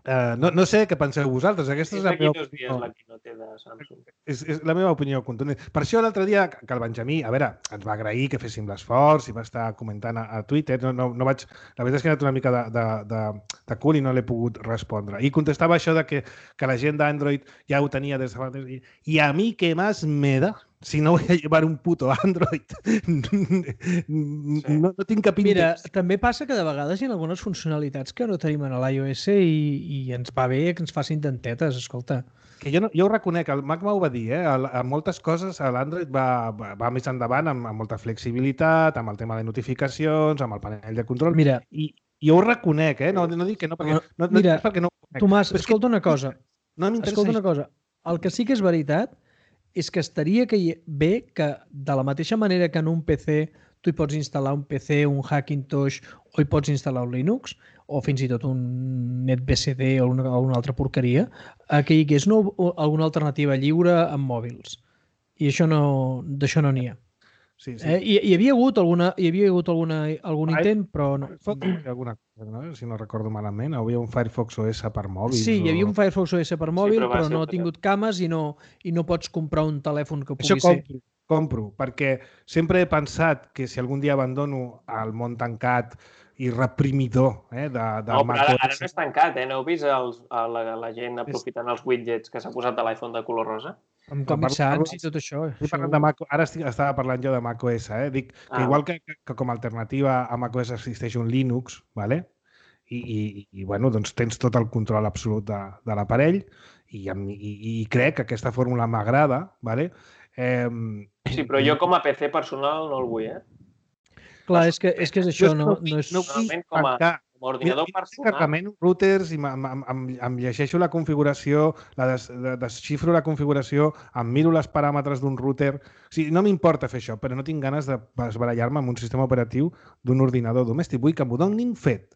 No sé què penseu vosaltres. Aquesta és la meva opinió. La keynote de Samsung. És la meva opinió contundent. Per això l'altre dia que el Benjamí, a veure, ens va agrair que féssim l'esforç i va estar comentant a Twitter. No vaig... La veritat és que he anat una mica de cul i no l'he pogut respondre. I contestava això de que la gent d'Android ja ho tenia des de fa temps. I a mi què més me da? Si no voy a llevar un puto Android, no tinc cap interès. Mira, també passa que de vegades hi ha algunes funcionalitats que no tenim en l'iOS i ens va bé que ens facin dentetes, escolta. Que jo ho reconec, el Mac m'ho va dir, a moltes coses l'Android va més endavant amb molta flexibilitat, amb el tema de notificacions, amb el panell de control. Mira, i jo ho reconec, no dic que no, perquè mira, perquè no ho reconec. Tomàs, escolta una cosa. No escolta una cosa. El que sí que és veritat és que estaria bé que de la mateixa manera que en un PC tu hi pots instal·lar un PC, un Hackintosh o hi pots instal·lar un Linux o fins i tot un NetBSD o una altra porqueria, que hi hagués alguna alternativa lliure amb mòbils. I d'això no n'hi ha. Sí. Hi havia hagut algun intent, però no. Alguna cosa, no? Si no recordo malament. Hi havia un Firefox OS per mòbils. Sí, hi havia un Firefox OS per mòbil, però no ha tingut cames i no pots comprar un telèfon que pugui ser. Això compro, perquè sempre he pensat que si algun dia abandono el món tancat i reprimidor del Mac OS... Ara no és tancat, no heu vist la gent aprofitant els widgets que s'ha posat de l'iPhone de color rosa? Amb Comic Sans i tot això. Ara estava parlant jo de macOS. Dic que igual que com a alternativa a macOS existeix un Linux, ¿vale? I bueno, doncs tens tot el control absolut de l'aparell i crec que aquesta fórmula m'agrada, ¿vale? Sí, però jo com a PC personal no el vull, Clar, és que és això, no és... Normalment com a ordinador personal... Carregament routers i em llegeixo la configuració, desxifro la configuració, em miro els paràmetres d'un router... O sigui, no m'importa fer això, però no tinc ganes de barallar-me amb un sistema operatiu d'un ordinador domèstic. Vull que m'ho donin fet.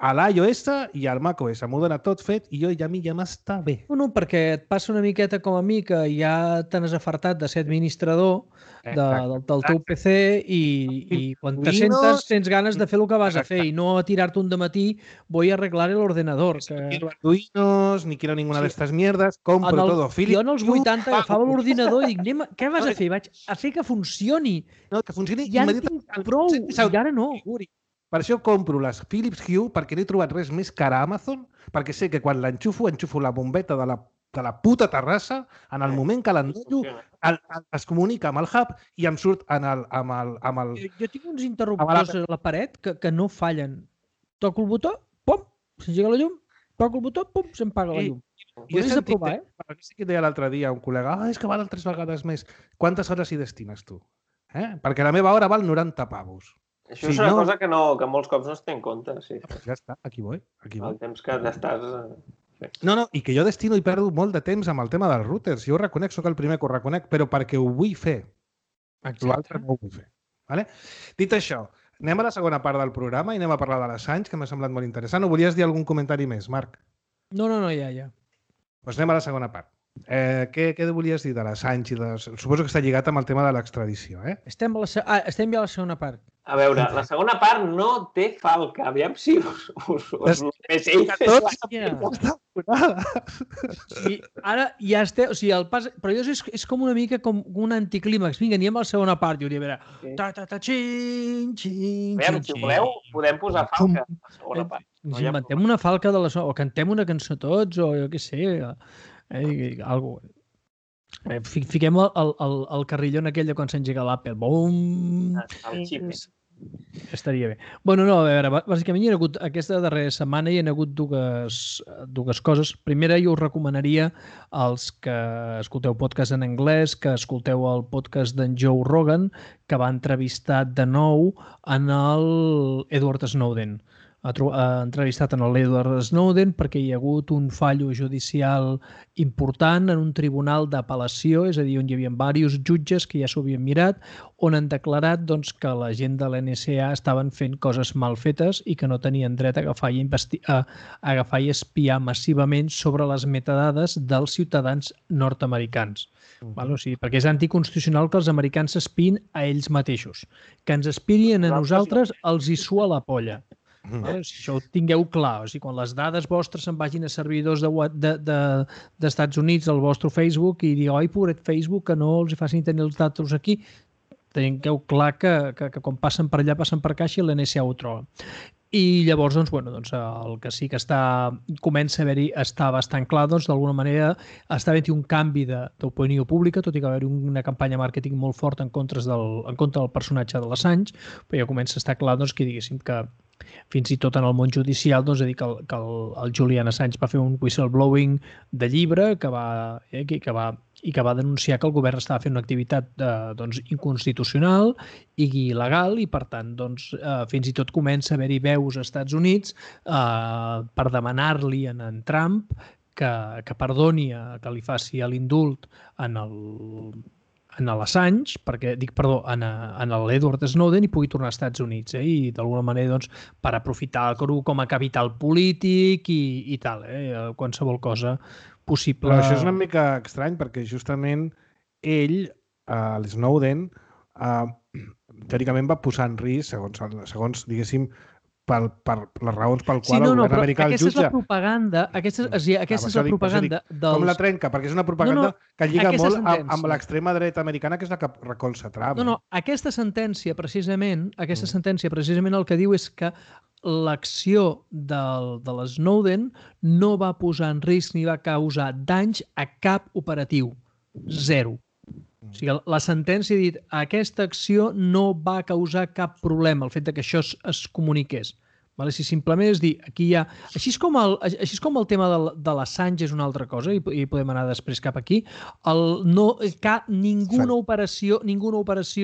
A l'iOS i al macOS m'ho dona tot fet i a mi ja m'està bé. No, perquè et passa una miqueta com a mi que ja te n'has afartat de ser administrador del teu PC i quan te sentes tens ganes de fer el que vas a fer i no a tirar-te un dematí voy a arreglar el ordenador. No quiero Arduinos, ni quiero ninguna de estas mierdes, compro todo Philips. Jo en els 80 agafava l'ordinador i dic, què vas a fer? Vaig a fer que funcioni. No, que funcioni. Ja en tinc prou, i ara no. Per això compro les Philips Hue perquè no he trobat res més car a Amazon, perquè sé que quan enxufo la bombeta de la puta terrassa, en el moment que l'endollo, es comunica amb el hub i em surt amb el... Jo tinc uns interruptors a la paret que no fallen. Toco el botó, pum, s'engega la llum, toco el botó, pum, se'm paga la llum. Jo he sentit que deia l'altre dia un col·lega, és que valen 3 vegades més. Quantes hores hi destines tu? Perquè la meva hora val 90 pavos. Això és una cosa que molts cops no es té en compte. Sí. Ja està, aquí vull. El temps que t'estàs... No, i que jo destino i perdo molt de temps amb el tema dels routers. Jo ho reconec, soc el primer que ho reconec, però perquè ho vull fer. L'altre no ho vull fer. Vale? Dit això, anem a la segona part del programa i anem a parlar de l'Assange, que m'ha semblat molt interessant. O volies dir algun comentari més, Marc? No, ja. Doncs anem a la segona part. Què volies dir de l'Assange? Suposo que està lligat amb el tema de l'extradició, Estem ja a la segona part. A veure, la segona part no té falca. Aviam si us Sí, ara ja esteu... O sigui, el pas... Però és com una mica com un anticlímax. Vinga, anem a la segona part. I hauria de veure... Si voleu, podem posar falca a la segona part. Ens inventem una falca de la... O cantem una cançó tots, o jo què sé... Algo. Fiquem el carrillon aquell de quan s'engega l'Apple. Bum! El xip. Estaria bé. Bueno, no, a veure, bàsicament hi ha hagut, aquesta darrera setmana hi ha hagut dues coses. Primera, jo us recomanaria als que escolteu podcast en anglès, que escolteu el podcast d'en Joe Rogan, que va entrevistar de nou en el Edward Snowden. entrevistat en l'Edward Snowden perquè hi ha hagut un fallo judicial important en un tribunal d'apel·lació, és a dir, on hi havia diversos jutges que ja s'ho havien mirat, on han declarat doncs, que la gent de l'NSA estaven fent coses mal fetes i que no tenien dret a agafar i espiar massivament sobre les metadades dels ciutadans nord-americans. O sigui, perquè és anticonstitucional que els americans s'espiïn a ells mateixos. Que ens espiïn a nosaltres els hi sua la polla. Si això ho tingueu clar, o sigui, quan les dades vostres se'n vagin a servidors d'Estats Units, al vostre Facebook, i digueu, ai, pobret Facebook, que no els facin tenir els datos aquí, tingueu clar que quan passen per allà, passen per caixa i l'NSA ho troba. I llavors, el que sí que comença a haver-hi, està bastant clar, d'alguna manera està havent-hi un canvi d'opinió pública, tot i que va haver-hi una campanya màrqueting molt forta en contra del personatge de l'Assange, però ja comença a estar clar que diguéssim que fins i tot en el món judicial, és a dir, que el Julian Assange va fer un whistleblowing de llibre que va denunciar que el govern estava fent una activitat inconstitucional i il·legal i, per tant, fins i tot comença a haver-hi veus als Estats Units per demanar-li a en Trump que perdoni, que li faci l'indult en l'Assange, en l'Edward Snowden i pugui tornar als Estats Units i d'alguna manera per aprofitar-ho com a capital polític i tal, qualsevol cosa possible. Però això és una mica estrany perquè justament ell, l'Snowden, teòricament va posar en risc, segons diguéssim, per les raons pel qual el govern americà el jutja. Aquesta és la propaganda. Aquesta és la propaganda dels... Com la trenca? Perquè és una propaganda que lliga molt amb l'extrema dreta americana, que és la que recolza Trump. Aquesta sentència, precisament, el que diu és que l'acció de l'Snowden no va posar en risc ni va causar danys a cap operatiu. Zero. O sigui, la sentència ha dit que aquesta acció no va causar cap problema, el fet que això es comuniqués. Si simplement és dir, aquí hi ha... Així és com el tema de l'Assange és una altra cosa, i podem anar després cap aquí, ninguna operació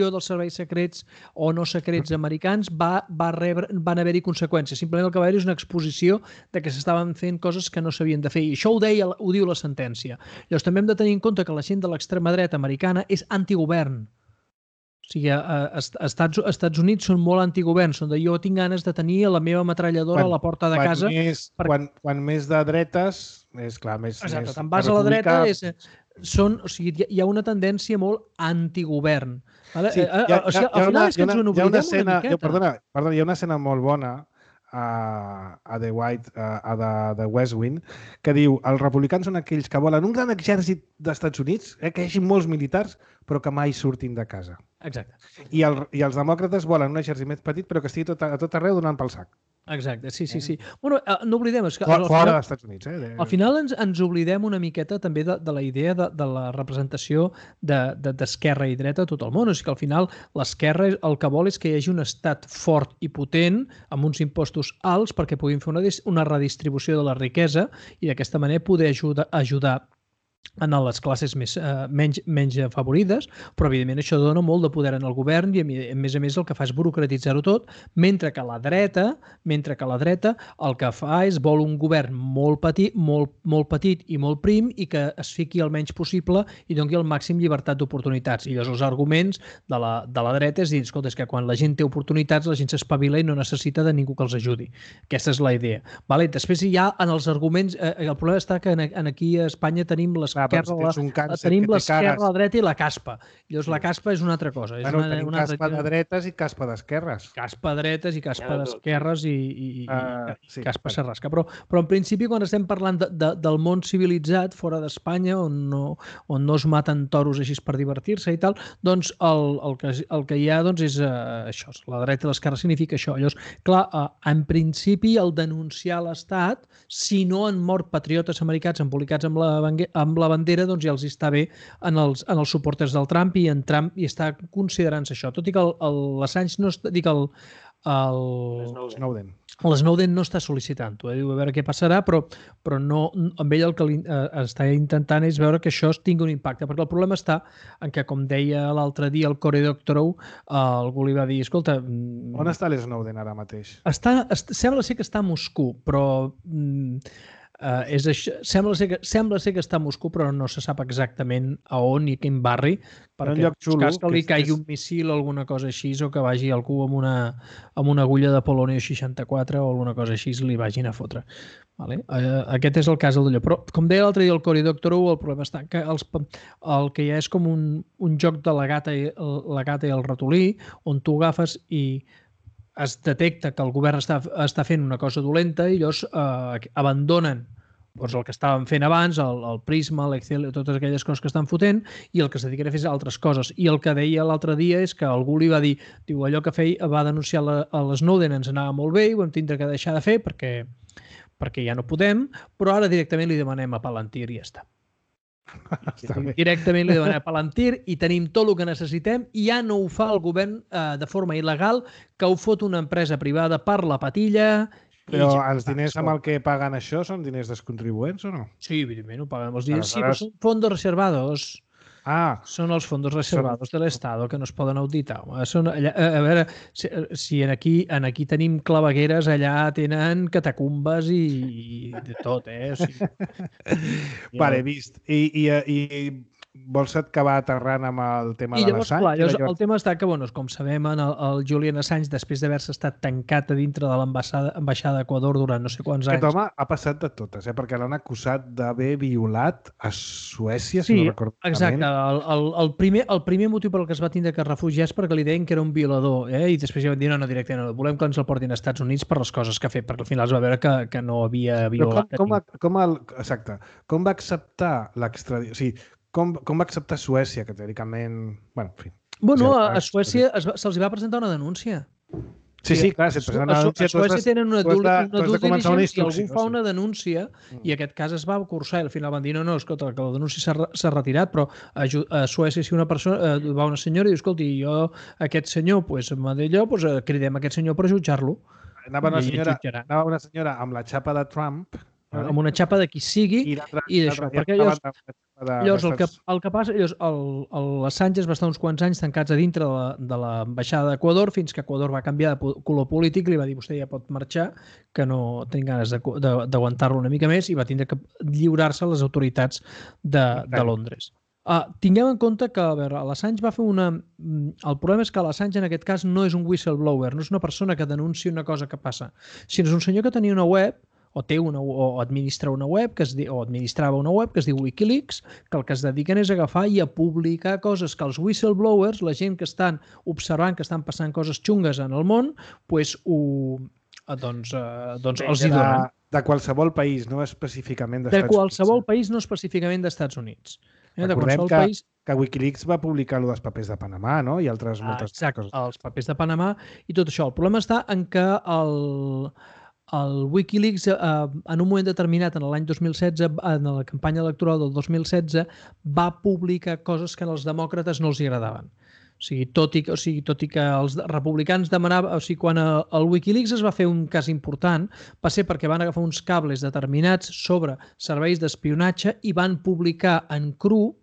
dels serveis secrets o no secrets americans van haver-hi conseqüències. Simplement el que va haver-hi és una exposició de que s'estaven fent coses que no s'havien de fer. I això ho diu la sentència. Llavors també hem de tenir en compte que la gent de l'extrema dreta americana és antigovern. O sigui, als Estats Units són molt antigovern, són de jo tinc ganes de tenir la meva metralladora a la porta de casa. Quan més de dretes, és clar, més... Exacte, te'n vas a la dreta, hi ha una tendència molt antigovern. Al final és que ens ho oblidem una miqueta. Perdona, hi ha una escena molt bona a The White, a The West Wing, que diu, els republicans són aquells que volen un gran exèrcit d'Estats Units, que hi hagi molts militars, però que mai surtin de casa. Exacte. I els demòcrates volen un exèrcit més petit, però que estigui a tot arreu donant pel sac. Exacte, sí. Bueno, no oblidem... Fora dels Estats Units. Al final ens oblidem una miqueta també de la idea de la representació d'esquerra i dreta a tot el món. O sigui que al final l'esquerra el que vol és que hi hagi un estat fort i potent amb uns impostos alts perquè puguin fer una redistribució de la riquesa i d'aquesta manera poder ajudar en les classes menys afavorides, però evidentment això dona molt de poder en el govern i a més el que fa és burocratitzar-ho tot, mentre que la dreta el que fa és vol un govern molt petit i molt prim i que es fiqui el menys possible i doni el màxim llibertat d'oportunitats. I llavors els arguments de la dreta és dir, escolta, és que quan la gent té oportunitats la gent s'espavila i no necessita de ningú que els ajudi. Aquesta és la idea. Després hi ha en els arguments, el problema està que aquí a Espanya tenim tenim l'esquerra, la dreta i la caspa. Llavors la caspa és una altra cosa. Tenim caspa de dretes i caspa d'esquerres. Caspa de dretes i caspa d'esquerres i caspa serrasca. Però en principi quan estem parlant del món civilitzat fora d'Espanya on no es maten toros així per divertir-se i tal, doncs el que hi ha és això. La dreta i l'esquerra significa això. Llavors, clar, en principi el denunciar l'Estat, si no han mort patriotes americans embolicats amb la bandera, doncs ja els està bé en els suporters del Trump i en Trump hi està considerant-se això. Tot i que l'Assange no està... Dic, Snowden. L'Snowden no està sol·licitant-ho, diu a veure què passarà, però no, amb ell el que està intentant és veure que això tingui un impacte, perquè el problema està en que, com deia l'altre dia el Cory Doctorow, algú li va dir, escolta... On està l'Snowden ara mateix? Sembla ser que està a Moscou, però... sembla ser que està a Moscou, però no se sap exactament a on i quin barri, perquè en cas que li caigui un missil o alguna cosa així, o que vagi algú amb una agulla de polònio 64 o alguna cosa així li vagin a fotre. Vale? Aquest és el cas d'allò. Però, com deia l'altre dia el Cory Doctorow, el problema està que el que ja és com un joc de la gata i el ratolí, on tu agafes i es detecta que el govern està fent una cosa dolenta i llavors abandonen el que estaven fent abans, el Prisma, l'Excel, totes aquelles coses que estan fotent, i el que es dediquen a fer altres coses. I el que deia l'altre dia és que algú li va dir, diu, allò que va denunciar a l'Snowden ens anava molt bé i ho hem tindre que deixar de fer perquè ja no podem, però ara directament li demanem a Palantir i ja està. Directament li demanem a Palantir i tenim tot el que necessitem i ja no ho fa el govern de forma il·legal, que ho fot una empresa privada per la patilla. Però els diners amb el que paguen això són diners dels contribuents o no? Sí, evidentment, ho paguen els diners. Sí, però són fondos reservados. Són els fondos reservados de l'Estat que no es poden auditar. A veure, si aquí tenim clavegueres, allà tenen catacumbes i de tot, eh? O sigui, vale, vist. I vols acabar aterrant amb el tema de l'Assange? El tema està que, com sabem, el Julian Assange, després d'haver-se estat tancat a dintre de l'ambaixada d'Equador durant no sé quants anys... Aquest home ha passat de totes, perquè l'han acusat d'haver violat a Suècia, si no recordo malament. Exacte. El primer motiu per el que es va tindre que refugiar és perquè li deien que era un violador, i després ja van dir, no, directament, no, volem que ens el portin als Estats Units per les coses que ha fet, perquè al final es va veure que no havia violat. Exacte. Com va acceptar l'extradició? O sigui, com va acceptar Suècia, que teòricament... en fi. A Suècia se'ls va presentar una denúncia. Sí, clar, si et presenten una denúncia... A Suècia tenen una due diligence i algú fa una denúncia i aquest cas es va cursar i al final van dir, no, escolta, que la denúncia s'ha retirat, però a Suècia si una persona va una senyora i diu, escolti, jo, aquest senyor, m'ha d'allò, cridem aquest senyor per jutjar-lo. Anava una senyora amb la xapa de Trump... Amb una xapa de qui sigui i d'això, perquè llavors el que passa, l'Assange es va estar uns quants anys tancats a dintre de l'ambaixada d'Equador fins que Equador va canviar de color polític i li va dir vostè ja pot marxar, que no tinc ganes d'aguantar-lo una mica més i va tindre que lliurar-se a les autoritats de Londres. Tinguem en compte que l'Assange va fer el problema és que l'Assange en aquest cas no és un whistleblower, no és una persona que denuncia una cosa que passa, sinó és un senyor que tenia una web o administra una web o administrava una web que es diu Wikileaks, que el que es dediquen és a agafar i a publicar coses que els whistleblowers, la gent que estan observant que estan passant coses xungues en el món, els hi donen. De qualsevol país, no específicament d'Estats Units. De qualsevol país, no específicament d'Estats Units. Recordem que Wikileaks va publicar els papers de Panamà, no? I altres moltes coses. Exacte, els papers de Panamà i tot això. El problema està en que el Wikileaks, en un moment determinat, en l'any 2016, en la campanya electoral del 2016, va publicar coses que als demòcrates no els agradaven. O sigui, tot i que els republicans demanaven... O sigui, quan el Wikileaks es va fer un cas important, va ser perquè van agafar uns cables determinats sobre serveis d'espionatge i van publicar en cru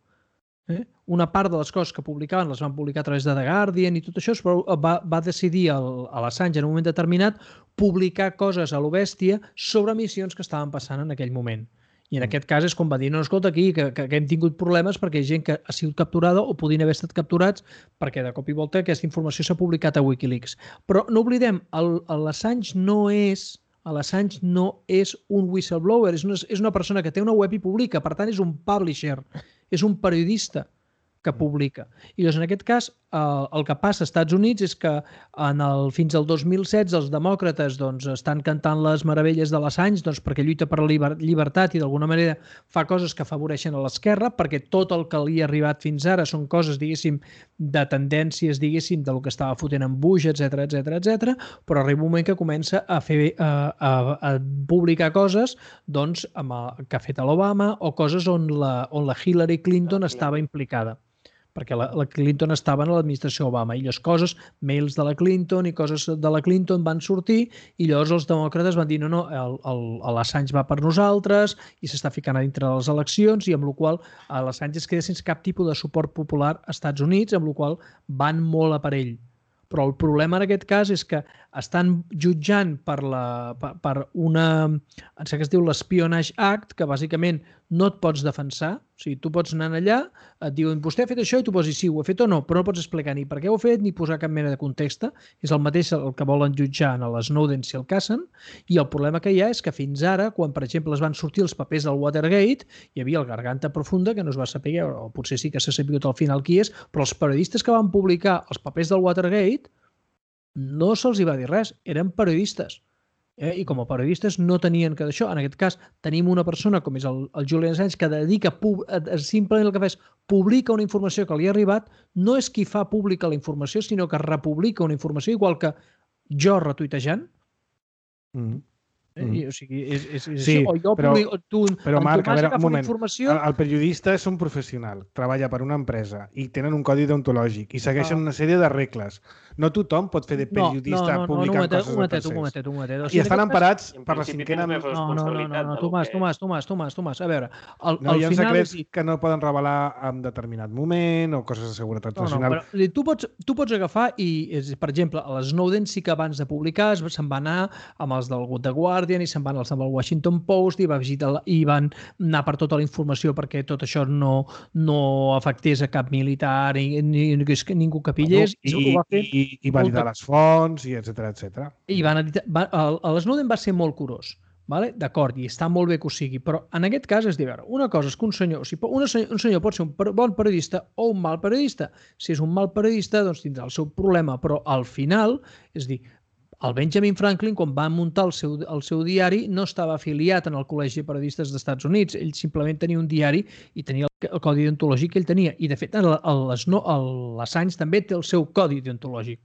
una part de les coses que publicaven les van publicar a través de The Guardian i tot això, però va decidir a l'Assange en un moment determinat publicar coses a lo bèstia sobre missions que estaven passant en aquell moment. I en aquest cas és com va dir, no, escolta, aquí que hem tingut problemes perquè hi ha gent que ha sigut capturada o podien haver estat capturats perquè de cop i volta aquesta informació s'ha publicat a Wikileaks. Però no oblidem, l'Assange no és un whistleblower, és una persona que té una web i publica, per tant és un publisher, és un periodista que publica. I doncs en aquest cas el que passa als Estats Units és que fins al 2016 els demòcrates estan cantant les meravelles de l'Assange perquè lluita per la llibertat i d'alguna manera fa coses que afavoreixen a l'esquerra perquè tot el que li ha arribat fins ara són coses, diguéssim, de tendències, diguéssim, del que estava fotent en Bush, etc. Però arriba un moment que comença a publicar coses que ha fet l'Obama o coses on la Hillary Clinton estava implicada. perquè la Clinton estava en l'administració Obama i les coses, mails de la Clinton i coses de la Clinton van sortir i llavors els demòcrates van dir no, l'Assange va per nosaltres i s'està ficant a dintre de les eleccions i amb la qual l'Assange es queda sense cap tipus de suport popular als Estats Units, amb la qual van molt a per ell. Però el problema en aquest cas és que estan jutjant per una, em sembla que es diu l'Espionage Act, que bàsicament no et pots defensar. O sigui, tu pots anar allà, et diuen, vostè ha fet això i tu pots dir sí, ho he fet o no, però no pots explicar ni per què ho ha fet ni posar cap mena de context. És el mateix el que volen jutjar en l'Snowden si el casen. I el problema que hi ha és que fins ara, quan per exemple es van sortir els papers del Watergate, hi havia el Garganta Profunda, que no es va saber, o potser sí que s'ha sabut al final qui és, però els periodistes que van publicar els papers del Watergate no se'ls hi va dir res, eren periodistes. I com a periodistes no tenien que d'això. En aquest cas tenim una persona com és el Julian Assange que dedica simplement el que fa és publica una informació que li ha arribat, no és qui fa pública la informació, sinó que republica una informació igual que jo retuitejant. O sigui, sí, o jo però Marc, a veure, un moment. Informació... El periodista és un professional, treballa per una empresa i tenen un codi deontològic i segueixen una sèrie de regles. No tothom pot fer de periodista publicant coses de tercers. Un momentet. I estan emparats per la cinquena... No, Tomàs. A veure, no hi ha secrets que no poden revelar en determinat moment o coses de seguretat nacional. Però tu pots agafar i, per exemple, a l'Snowden sí que abans de publicar se'n va anar amb els del The Guardian i se'n van als del Washington Post i van anar per tota la informació perquè tot això no afectés a cap militar ni ningú que pillés. I validar les fonts, i etcètera. I l'Snowden va ser molt curós. D'acord, i està molt bé que ho sigui, però en aquest cas és dir, una cosa és que un senyor pot ser un bon periodista o un mal periodista. Si és un mal periodista, doncs tindrà el seu problema, però al final, és dir, el Benjamin Franklin, quan va muntar el seu diari, no estava afiliat en el Col·legi de Periodistes dels Estats Units. Ell simplement tenia un diari i tenia el codi deontològic que ell tenia. I, de fet, l'Assange també té el seu codi deontològic.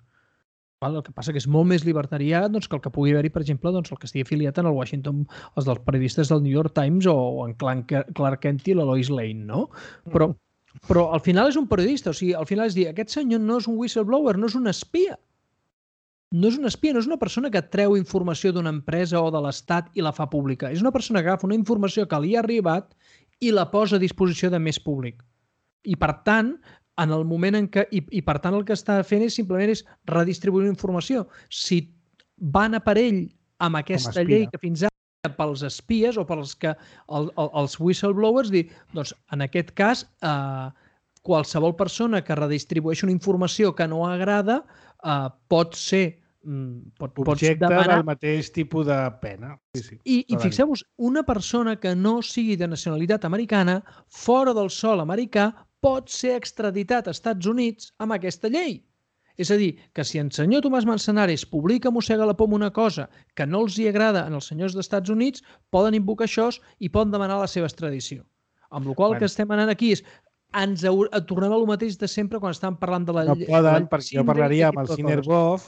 El que passa que és molt més libertarià que el que pugui haver-hi, per exemple, el que estigui afiliat en el Washington, els dels periodistes del New York Times o en Clark Kent i la Lois Lane, no? Però al final és un periodista. O sigui, al final és dir, aquest senyor no és un whistleblower, no és un espia. No és un espia, no és una persona que treu informació d'una empresa o de l'Estat i la fa pública. És una persona que agafa una informació que li ha arribat i la posa a disposició de més públic. I per tant, en el moment en què... I per tant el que està fent simplement és redistribuir la informació. Si van a per ell amb aquesta llei que fins ara pels espies o pels que els whistleblowers, dir, doncs en aquest cas qualsevol persona que redistribueixi una informació que no agrada pot ser objecte del mateix tipus de pena. I fixeu-vos, una persona que no sigui de nacionalitat americana, fora del sòl americà, pot ser extraditat als Estats Units amb aquesta llei. És a dir, que si el senyor Tomàs Manzanares publica mossega la poma una cosa que no els hi agrada als senyors dels Estats Units, poden invocar això i poden demanar la seva extradició. Amb la qual cosa que estem anant aquí és tornem a lo mateix de sempre quan estàvem parlant de la llei. No poden, perquè jo parlaria amb el Sinerbov.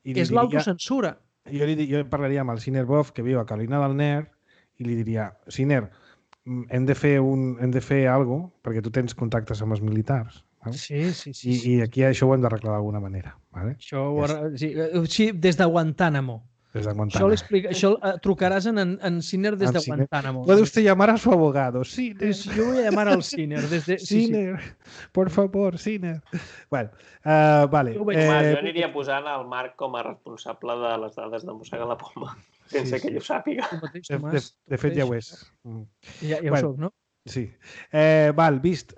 És l'autocensura. Jo parlaria amb el Sinerbov, que viu a Carolina del Nord, i li diria, Siner, hem de fer alguna cosa, perquè tu tens contactes amb els militars. Sí. I aquí això ho hem d'arreglar d'alguna manera. Sí, des de Guantánamo. Això trucaràs en Siner des de Guantánamo. ¿Puede usted llamar a su abogado? Siner. Yo voy a llamar al Siner. Siner, por favor, Siner. Bueno, vale. Jo aniria posant el Marc com a responsable de les dades de mossegar la poma, sense que ell ho sàpiga. De fet, ja ho és. Ja ho soc, no? Sí. Val, vist.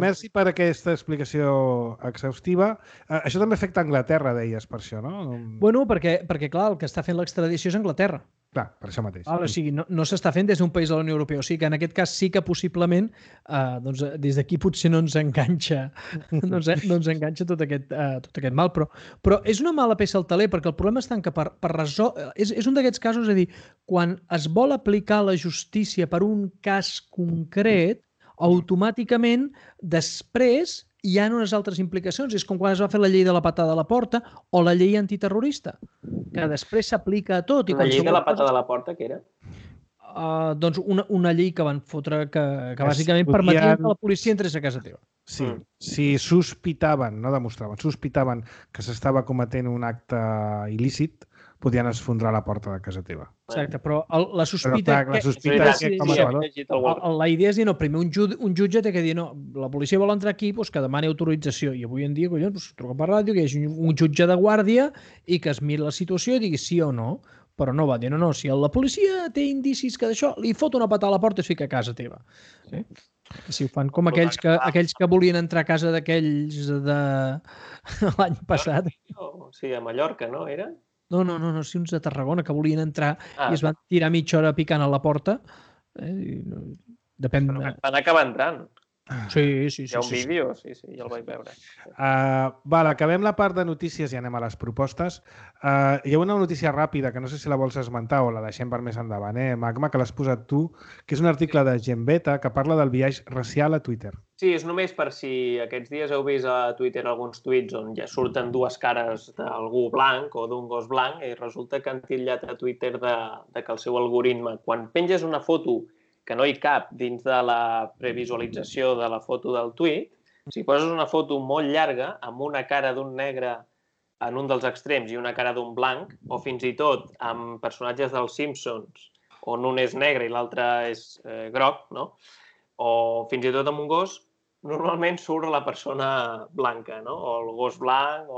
Merci per aquesta explicació exhaustiva. Això també afecta Anglaterra, deies, per això, no? Bueno, perquè clar, el que està fent l'extradició és Anglaterra. Clar, per això mateix. O sigui, no s'està fent des d'un país de la Unió Europea. O sigui que en aquest cas sí que possiblement des d'aquí potser no ens enganxa tot aquest mal. Però és una mala peça al taler perquè el problema està que per resoldre... És un d'aquests casos, és a dir, quan es vol aplicar la justícia per un cas concret, automàticament després hi ha unes altres implicacions. És com quan es va fer la llei de la patada a la porta o la llei antiterrorista, que després s'aplica a tot. La llei de la patada a la porta, què era? doncs una llei que van fotre que bàsicament permetia que la policia entrés a casa teva. Sí, si sospitaven, no demostraven, sospitaven que s'estava cometent un acte il·lícit, podien esfondrar la porta de casa teva. Exacte, però la sospita... Però, clar, la sospita és que com a salvador... La idea és dir, no, primer un jutge té que dir, no, la policia vol entrar aquí, doncs que demani autorització. I avui en dia, collons, truca per ràdio, que hi hagi un jutge de guàrdia i que es miri la situació i digui sí o no. Però no va dir, no, si la policia té indicis que d'això, li fot una patada a la porta i es fica a casa teva. Sí? Si ho fan com aquells que volien entrar a casa d'aquells de l'any passat. Sí, a Mallorca, no, era? No, sí, uns de Tarragona que volien entrar i es van tirar mitja hora picant a la porta. Depèn... Van acabar entrant. Sí. Hi ha un vídeo, sí, ja el vaig veure. Acabem la part de notícies i anem a les propostes. Hi ha una notícia ràpida, que no sé si la vols esmentar o la deixem per més endavant, Magma, que l'has posat tu, que és un article de Gembeta que parla del biaix racial a Twitter. Sí, és només per si aquests dies heu vist a Twitter alguns tuits on ja surten dues cares d'algú blanc o d'un gos blanc i resulta que han titllat a Twitter de que el seu algoritme, quan penges una foto que no hi cap dins de la previsualització de la foto del tuit, si poses una foto molt llarga amb una cara d'un negre en un dels extrems i una cara d'un blanc, o fins i tot amb personatges dels Simpsons, on un és negre i l'altre és groc, no? O fins i tot amb un gos, normalment surt la persona blanca, no? O el gos blanc,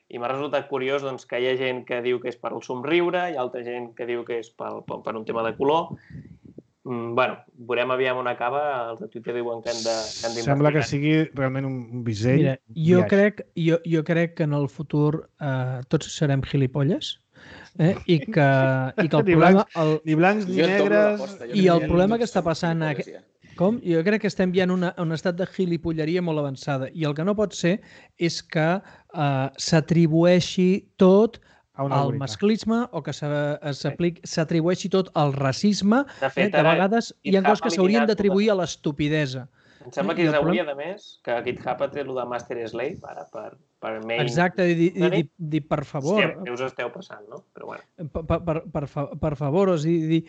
I m'ha resultat curiós doncs, que hi ha gent que diu que és per el somriure, hi ha altra gent que diu que és per un tema de color. Bueno, veurem aviam on acaba. Els de Twitter diuen que han d'investigar. Sembla que sigui realment un bisell. Mira, jo crec que en el futur tots serem gilipolles i que el problema... Ni blancs ni negres... I el problema que està passant... Com? Jo crec que estem ja en un estat de gilipolleria molt avançada. I el que no pot ser és que s'atribueixi tot al masclisme o que s'atribueixi tot al racisme. De fet, de vegades hi ha coses que s'haurien d'atribuir a l'estupidesa. Em sembla que hauria, a més, que GitHub ha tret el de Master Slave ara per main... Exacte, dir per favor... Què us esteu passant, no? Però bueno. Per favor, és dir...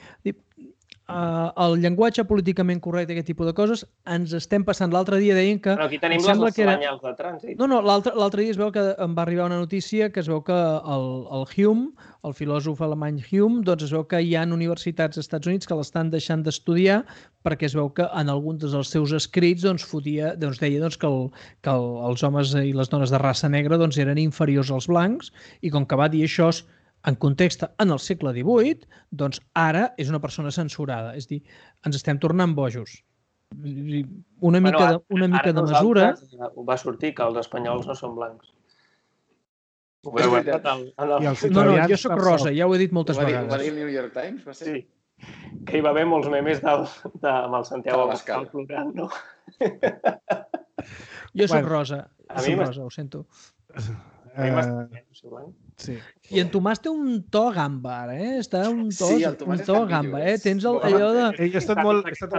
El llenguatge políticament correcte, aquest tipus de coses, ens estem passant. L'altre dia deien que... Però aquí tenim les senyals de trànsit. No, l'altre dia es veu que em va arribar una notícia que es veu que el Hume, el filòsof alemany Hume, doncs es veu que hi ha universitats als Estats Units que l'estan deixant d'estudiar perquè es veu que en alguns dels seus escrits deia que els homes i les dones de raça negra eren inferiors als blancs i com que va dir això en context en el segle XVIII, doncs ara és una persona censurada. És a dir, ens estem tornant bojos. Una mica de mesura... Va sortir que els espanyols no són blancs. No, jo soc rosa, ja ho he dit moltes vegades. Ho va dir el New York Times, va ser? Sí. Que hi va haver molts memes amb el Santiago Abascal plorant, no? Jo soc rosa, ho sento. Sí. I en Tomàs té un to gamba, Està un to gamba, Tens allò de... Ell ha estat a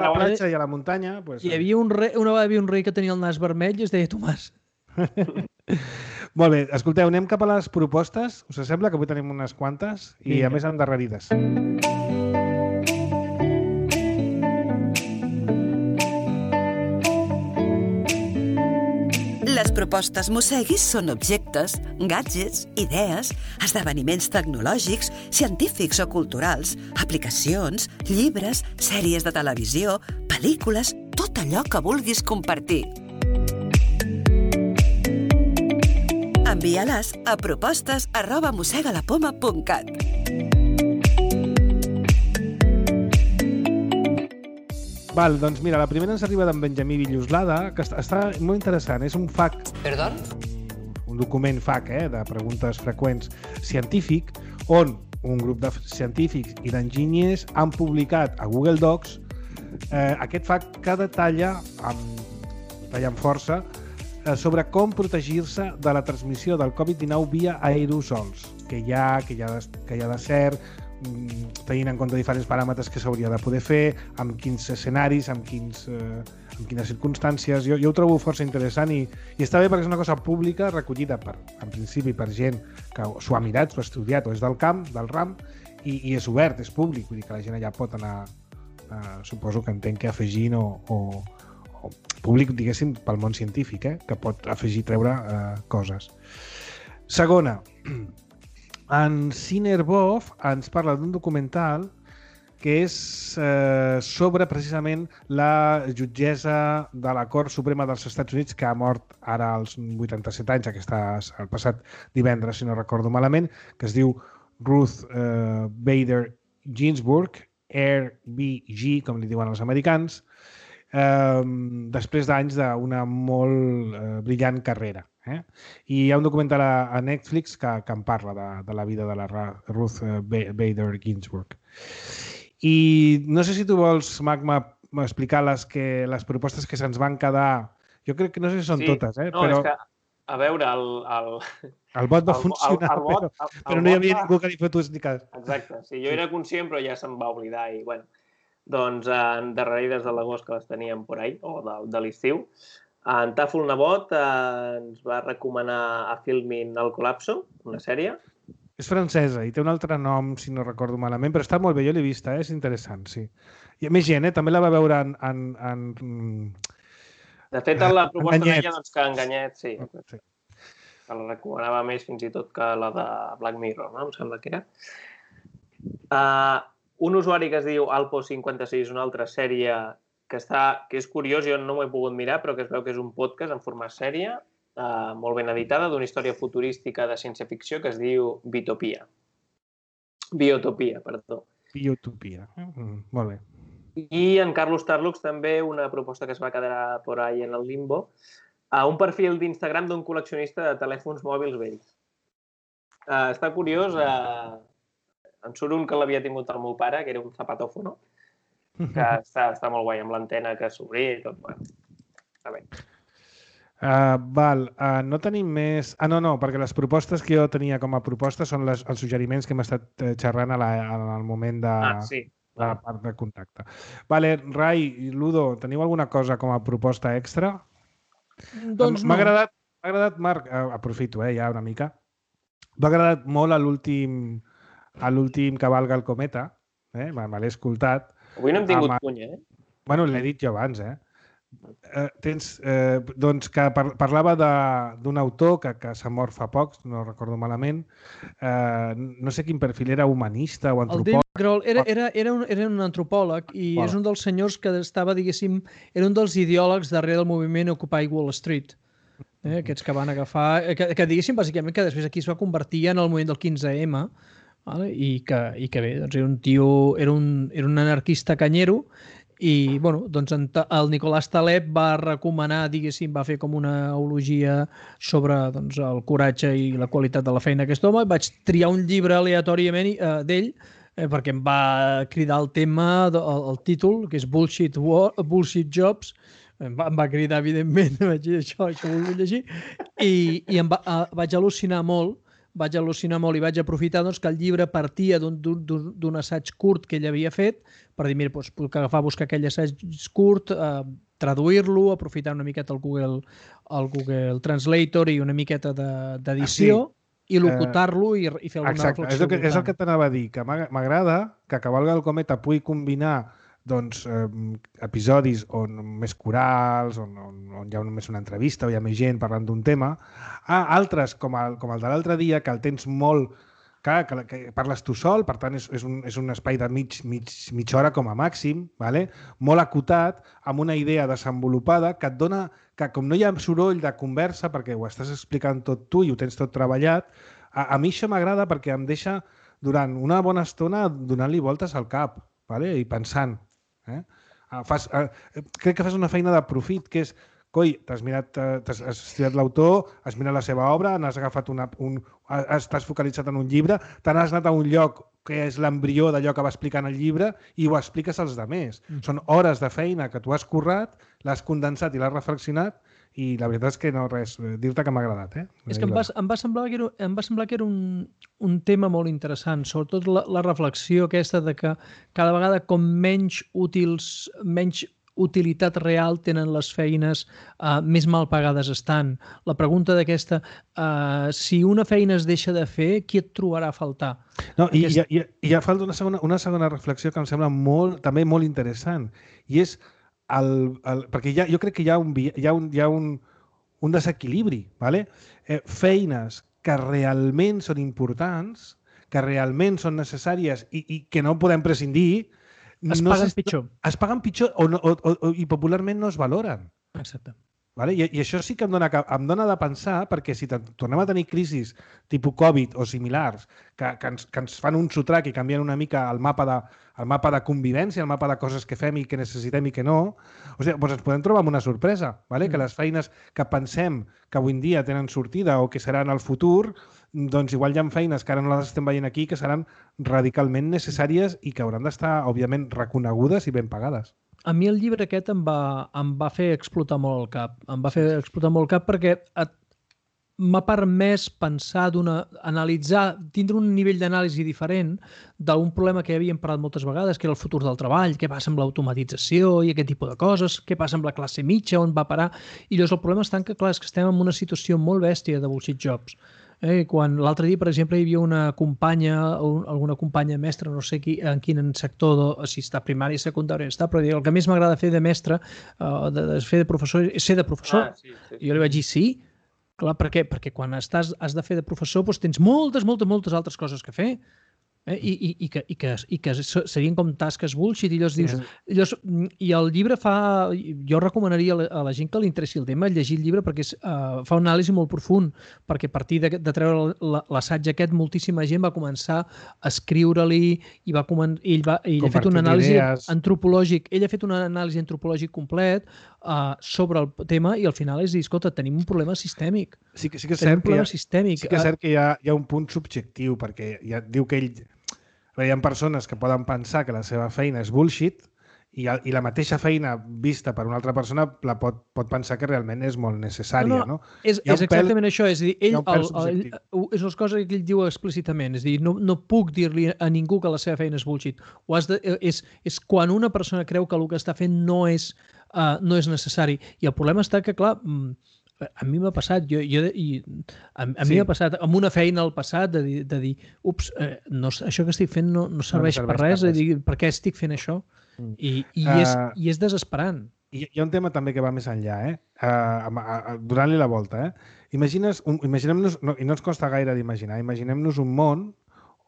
la platja i a la muntanya. Hi havia un rei que tenia el nas vermell i es deia Tomàs. Molt bé, escolteu, anem cap a les propostes. Us sembla que avui tenim unes quantes i a més endarrerides. Les propostes Mosseguis són objectes, gadgets, idees, esdeveniments tecnològics, científics o culturals, aplicacions, llibres, sèries de televisió, pel·lícules, tot allò que vulguis compartir. Envia-les a propostes@mossegalapoma.cat. Val, doncs mira, la primera ens arriba d'en Benjamí Villoslada, que està molt interessant. És un FAQ. Perdó? Un document FAQ, de preguntes freqüents científic, on un grup de científics i d'enginyers han publicat a Google Docs aquest FAQ que detalla amb força sobre com protegir-se de la transmissió del Covid-19 via aerosols, que hi ha de cert, tenint en compte diferents paràmetres que s'hauria de poder fer, amb quins escenaris, amb quines circumstàncies. Jo ho trobo força interessant i està bé perquè és una cosa pública recollida en principi per gent que s'ho ha mirat, s'ho ha estudiat o és del camp, del ram, i és obert, és públic, vull dir que la gent allà pot anar, suposo que entenc que afegint o públic, diguéssim, pel món científic, que pot afegir, treure coses. Segona, en Cinerbov ens parla d'un documental que és sobre precisament la jutgessa de la Cort Suprema dels Estats Units, que ha mort ara als 87 anys, el passat divendres, si no recordo malament, que es diu Ruth Bader Ginsburg, RBG, com li diuen els americans, després d'anys d'una molt brillant carrera. I hi ha un documental a Netflix que en parla de la vida de la Ruth Bader Ginsburg. I no sé si tu vols, Magma, explicar les propostes que se'ns van quedar. Jo crec que no sé si són totes, no, però... és que, a veure, el vot va funcionar, però no hi havia ningú que li fotés ni cas. Exacte, sí, jo era conscient, però ja se'm va oblidar i, bueno, doncs endarrerides de l'agost que les teníem por ahí, o de l'estiu, en Tàfol Nebot ens va recomanar a Filmin El Colapso, una sèrie. És francesa i té un altre nom, si no recordo malament, però està molt bé, jo l'he vista, és interessant, sí. I més gent, també la va veure en... De fet, la proposta deia que Enganyet, sí. Que la recomanava més fins i tot que la de Black Mirror, no? Em sembla que era. Un usuari que es diu Alpo56, una altra sèrie que és curiós, jo no m'ho he pogut mirar, però que es veu que és un podcast en format sèrie, molt ben editada, d'una història futurística de ciència-ficció que es diu Biotopia, perdó. Biotopia, molt bé. I en Carlos Tarlux també una proposta que es va quedar por ahí en el limbo, un perfil d'Instagram d'un col·leccionista de telèfons mòbils vells. Està curiós, en surt un que l'havia tingut el meu pare, que era un zapatófono, que està molt guai, amb l'antena que s'obria i tot. Bueno, està bé. No tenim més... No, perquè les propostes que jo tenia com a proposta són els suggeriments que hem estat xerrant en el moment de la part de contacte. Vale, Rai i Ludo, teniu alguna cosa com a proposta extra? Doncs no. M'ha agradat, Marc, aprofito ja una mica, m'ha agradat molt a l'últim Cavalga el cometa, me l'he escoltat. Avui no hem tingut puny, Bueno, l'he dit jo abans, doncs que parlava d'un autor que s'ha mort fa poc, no recordo malament, no sé quin perfil era, humanista o antropòleg. El David Grohl era un antropòleg i és un dels senyors que estava, diguéssim, era un dels ideòlegs darrere del moviment Occupy Wall Street. Aquests que van agafar, que diguéssim, bàsicament, que després aquí es va convertir en el moviment del 15M, i que bé, doncs era un tio, era un anarquista canyero. I, bueno, doncs el Nicolás Taleb va recomanar, diguéssim, va fer com una eulogia sobre el coratge i la qualitat de la feina d'aquest home. Vaig triar un llibre aleatòriament d'ell perquè em va cridar el tema, el títol, que és Bullshit Jobs. Em va cridar, evidentment, vaig dir això ho vull llegir, i vaig al·lucinar molt i vaig aprofitar que el llibre partia d'un assaig curt que ell havia fet per dir, mira, puc agafar, buscar aquell assaig curt, traduir-lo, aprofitar una miqueta el Google Translator i una miqueta d'edició i locutar-lo i fer alguna reflexió. Exacte, és el que t'anava a dir, que m'agrada que Cavalga el cometa pugui combinar episodis més corals, on hi ha només una entrevista o hi ha més gent parlant d'un tema, altres, com el de l'altre dia, que el tens molt... que parles tu sol, per tant és un espai de mitja hora com a màxim, molt acotat, amb una idea desenvolupada que et dona, que com no hi ha soroll de conversa, perquè ho estàs explicant tot tu i ho tens tot treballat, a mi això m'agrada perquè em deixa durant una bona estona donant-li voltes al cap i pensant. Crec que fas una feina de profit, que és, coi, has estudiat l'autor, has mirat la seva obra, n'has agafat estàs focalitzat en un llibre, te n'has anat a un lloc que és l'embrió d'allò que va explicar en el llibre i ho expliques als altres. Són hores de feina que tu has currat, l'has condensat i l'has reflexionat i la veritat és que no res, dir-te que m'ha agradat. És que em va semblar que era un tema molt interessant, sobretot la reflexió aquesta de que cada vegada com menys utilitat real tenen les feines més mal pagades estan. La pregunta d'aquesta, si una feina es deixa de fer, qui et trobarà a faltar? No, i ja falta una segona reflexió que em sembla també molt interessant, i és perquè jo crec que hi ha un desequilibri, ¿vale? Feines que realment són importants, que realment són necessàries i que no podem prescindir, es paguen pitjor. Es paguen pitjor i popularment no es valoren. Exacte. Vale? I això sí que em dona de pensar, perquè si tornem a tenir crisis tipus Covid o similars que ens fan un sotrac i canvien una mica el mapa de convivència, el mapa de coses que fem i que necessitem i que no, o sigui, doncs ens podem trobar amb una sorpresa, vale? Que les feines que pensem que avui en dia tenen sortida o que seran al futur, doncs igual hi ha feines que ara no les estem veient aquí que seran radicalment necessàries i que hauran d'estar, òbviament, reconegudes i ben pagades. A mi el llibre aquest em va fer explotar molt el cap. Em va fer explotar molt el cap perquè m'ha permès pensar, analitzar, tindre un nivell d'anàlisi diferent d'un problema que ja havíem parlat moltes vegades, que era el futur del treball, què passa amb l'automatització i aquest tipus de coses, què passa amb la classe mitja, on va parar. I llavors el problema està que, clar, és que estem en una situació molt bèstia de bullshit jobs. Quan l'altre dia, per exemple, hi havia una companya, alguna companya mestra, no sé en quin sector, si està primari, secundari, però el que més m'agrada fer de mestre, de fer de professor, és ser de professor. Sí. I jo li vaig dir sí, clar, per què? Perquè quan has de fer de professor doncs tens moltes altres coses que fer. I que serien com tasques bullshit, i llavors i el llibre jo recomanaria a la gent que li interessi el tema llegir el llibre perquè fa un anàlisi molt profund, perquè a partir de treure l'assaig aquest moltíssima gent va començar a escriure-li i ell ha fet un anàlisi antropològic, complet sobre el tema, i al final és dir, escolta, tenim un problema sistèmic. Sí que és cert que hi ha un punt subjectiu, perquè ja diu que ell... Hi ha persones que poden pensar que la seva feina és bullshit i la mateixa feina vista per una altra persona pot pensar que realment és molt necessària. No? És exactament això. És a dir, és una cosa que ell diu explícitament. És a dir, no puc dir-li a ningú que la seva feina és bullshit. És quan una persona creu que el que està fent no és necessari. I el problema està que, clar, a mi m'ha passat, m'ha passat amb una feina al passat de dir, ups, això que estic fent no serveix per res, de dir, per què estic fent això? I és desesperant. Hi ha un tema també que va més enllà, donant-li la volta. Imaginem-nos, i no ens costa gaire d'imaginar, imaginem-nos un món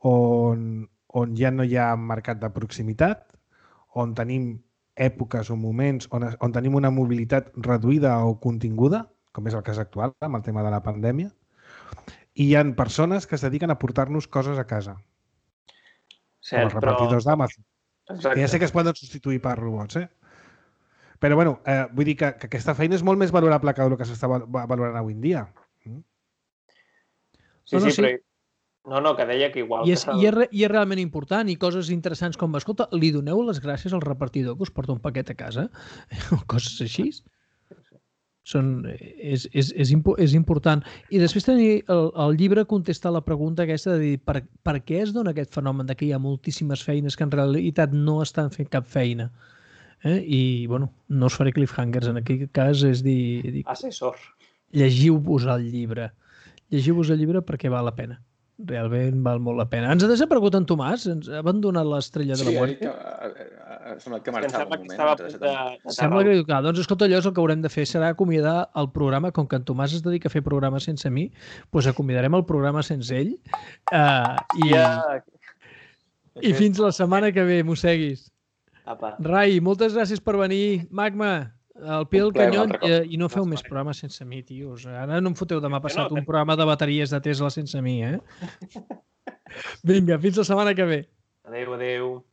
on ja no hi ha mercat de proximitat, on tenim èpoques o moments on tenim una mobilitat reduïda o continguda, com és el cas actual, amb el tema de la pandèmia, i hi ha persones que es dediquen a portar-nos coses a casa. Com els repartidors d'Amazon. Que ja sé que es poden substituir per robots, Però, bueno, vull dir que aquesta feina és molt més valorable que el que s'està valorant avui en dia. Sí, però... No, que deia que igual... I és realment important, i coses interessants com, escolta, li doneu les gràcies al repartidor que us porta un paquet a casa? O coses així. És important. I després també el llibre contesta la pregunta aquesta de dir per què es dona aquest fenomen de que hi ha moltíssimes feines que en realitat no estan fent cap feina. I, bueno, no us faré cliffhangers en aquest cas, és dir... Assessor. Llegiu-vos el llibre. Llegiu-vos el llibre perquè val la pena. Realment val molt la pena. Ens ha desaparegut en Tomàs? Ens ha abandonat l'estrella de la muerte? Sí, sembla que marxava un moment. Sembla que... Doncs escolta, allò és el que haurem de fer, serà acomiadar el programa, com que en Tomàs es dedica a fer programes sense mi, doncs acomiadarem el programa sense ell. I fins la setmana que ve, mosseguis. Rai, moltes gràcies per venir. Magma, al pie del canyón, i no feu més programes sense mi, tios. Ara no em foteu demà passat un programa de bateries de Tesla sense mi, Vinga, fins la setmana que ve. Adéu.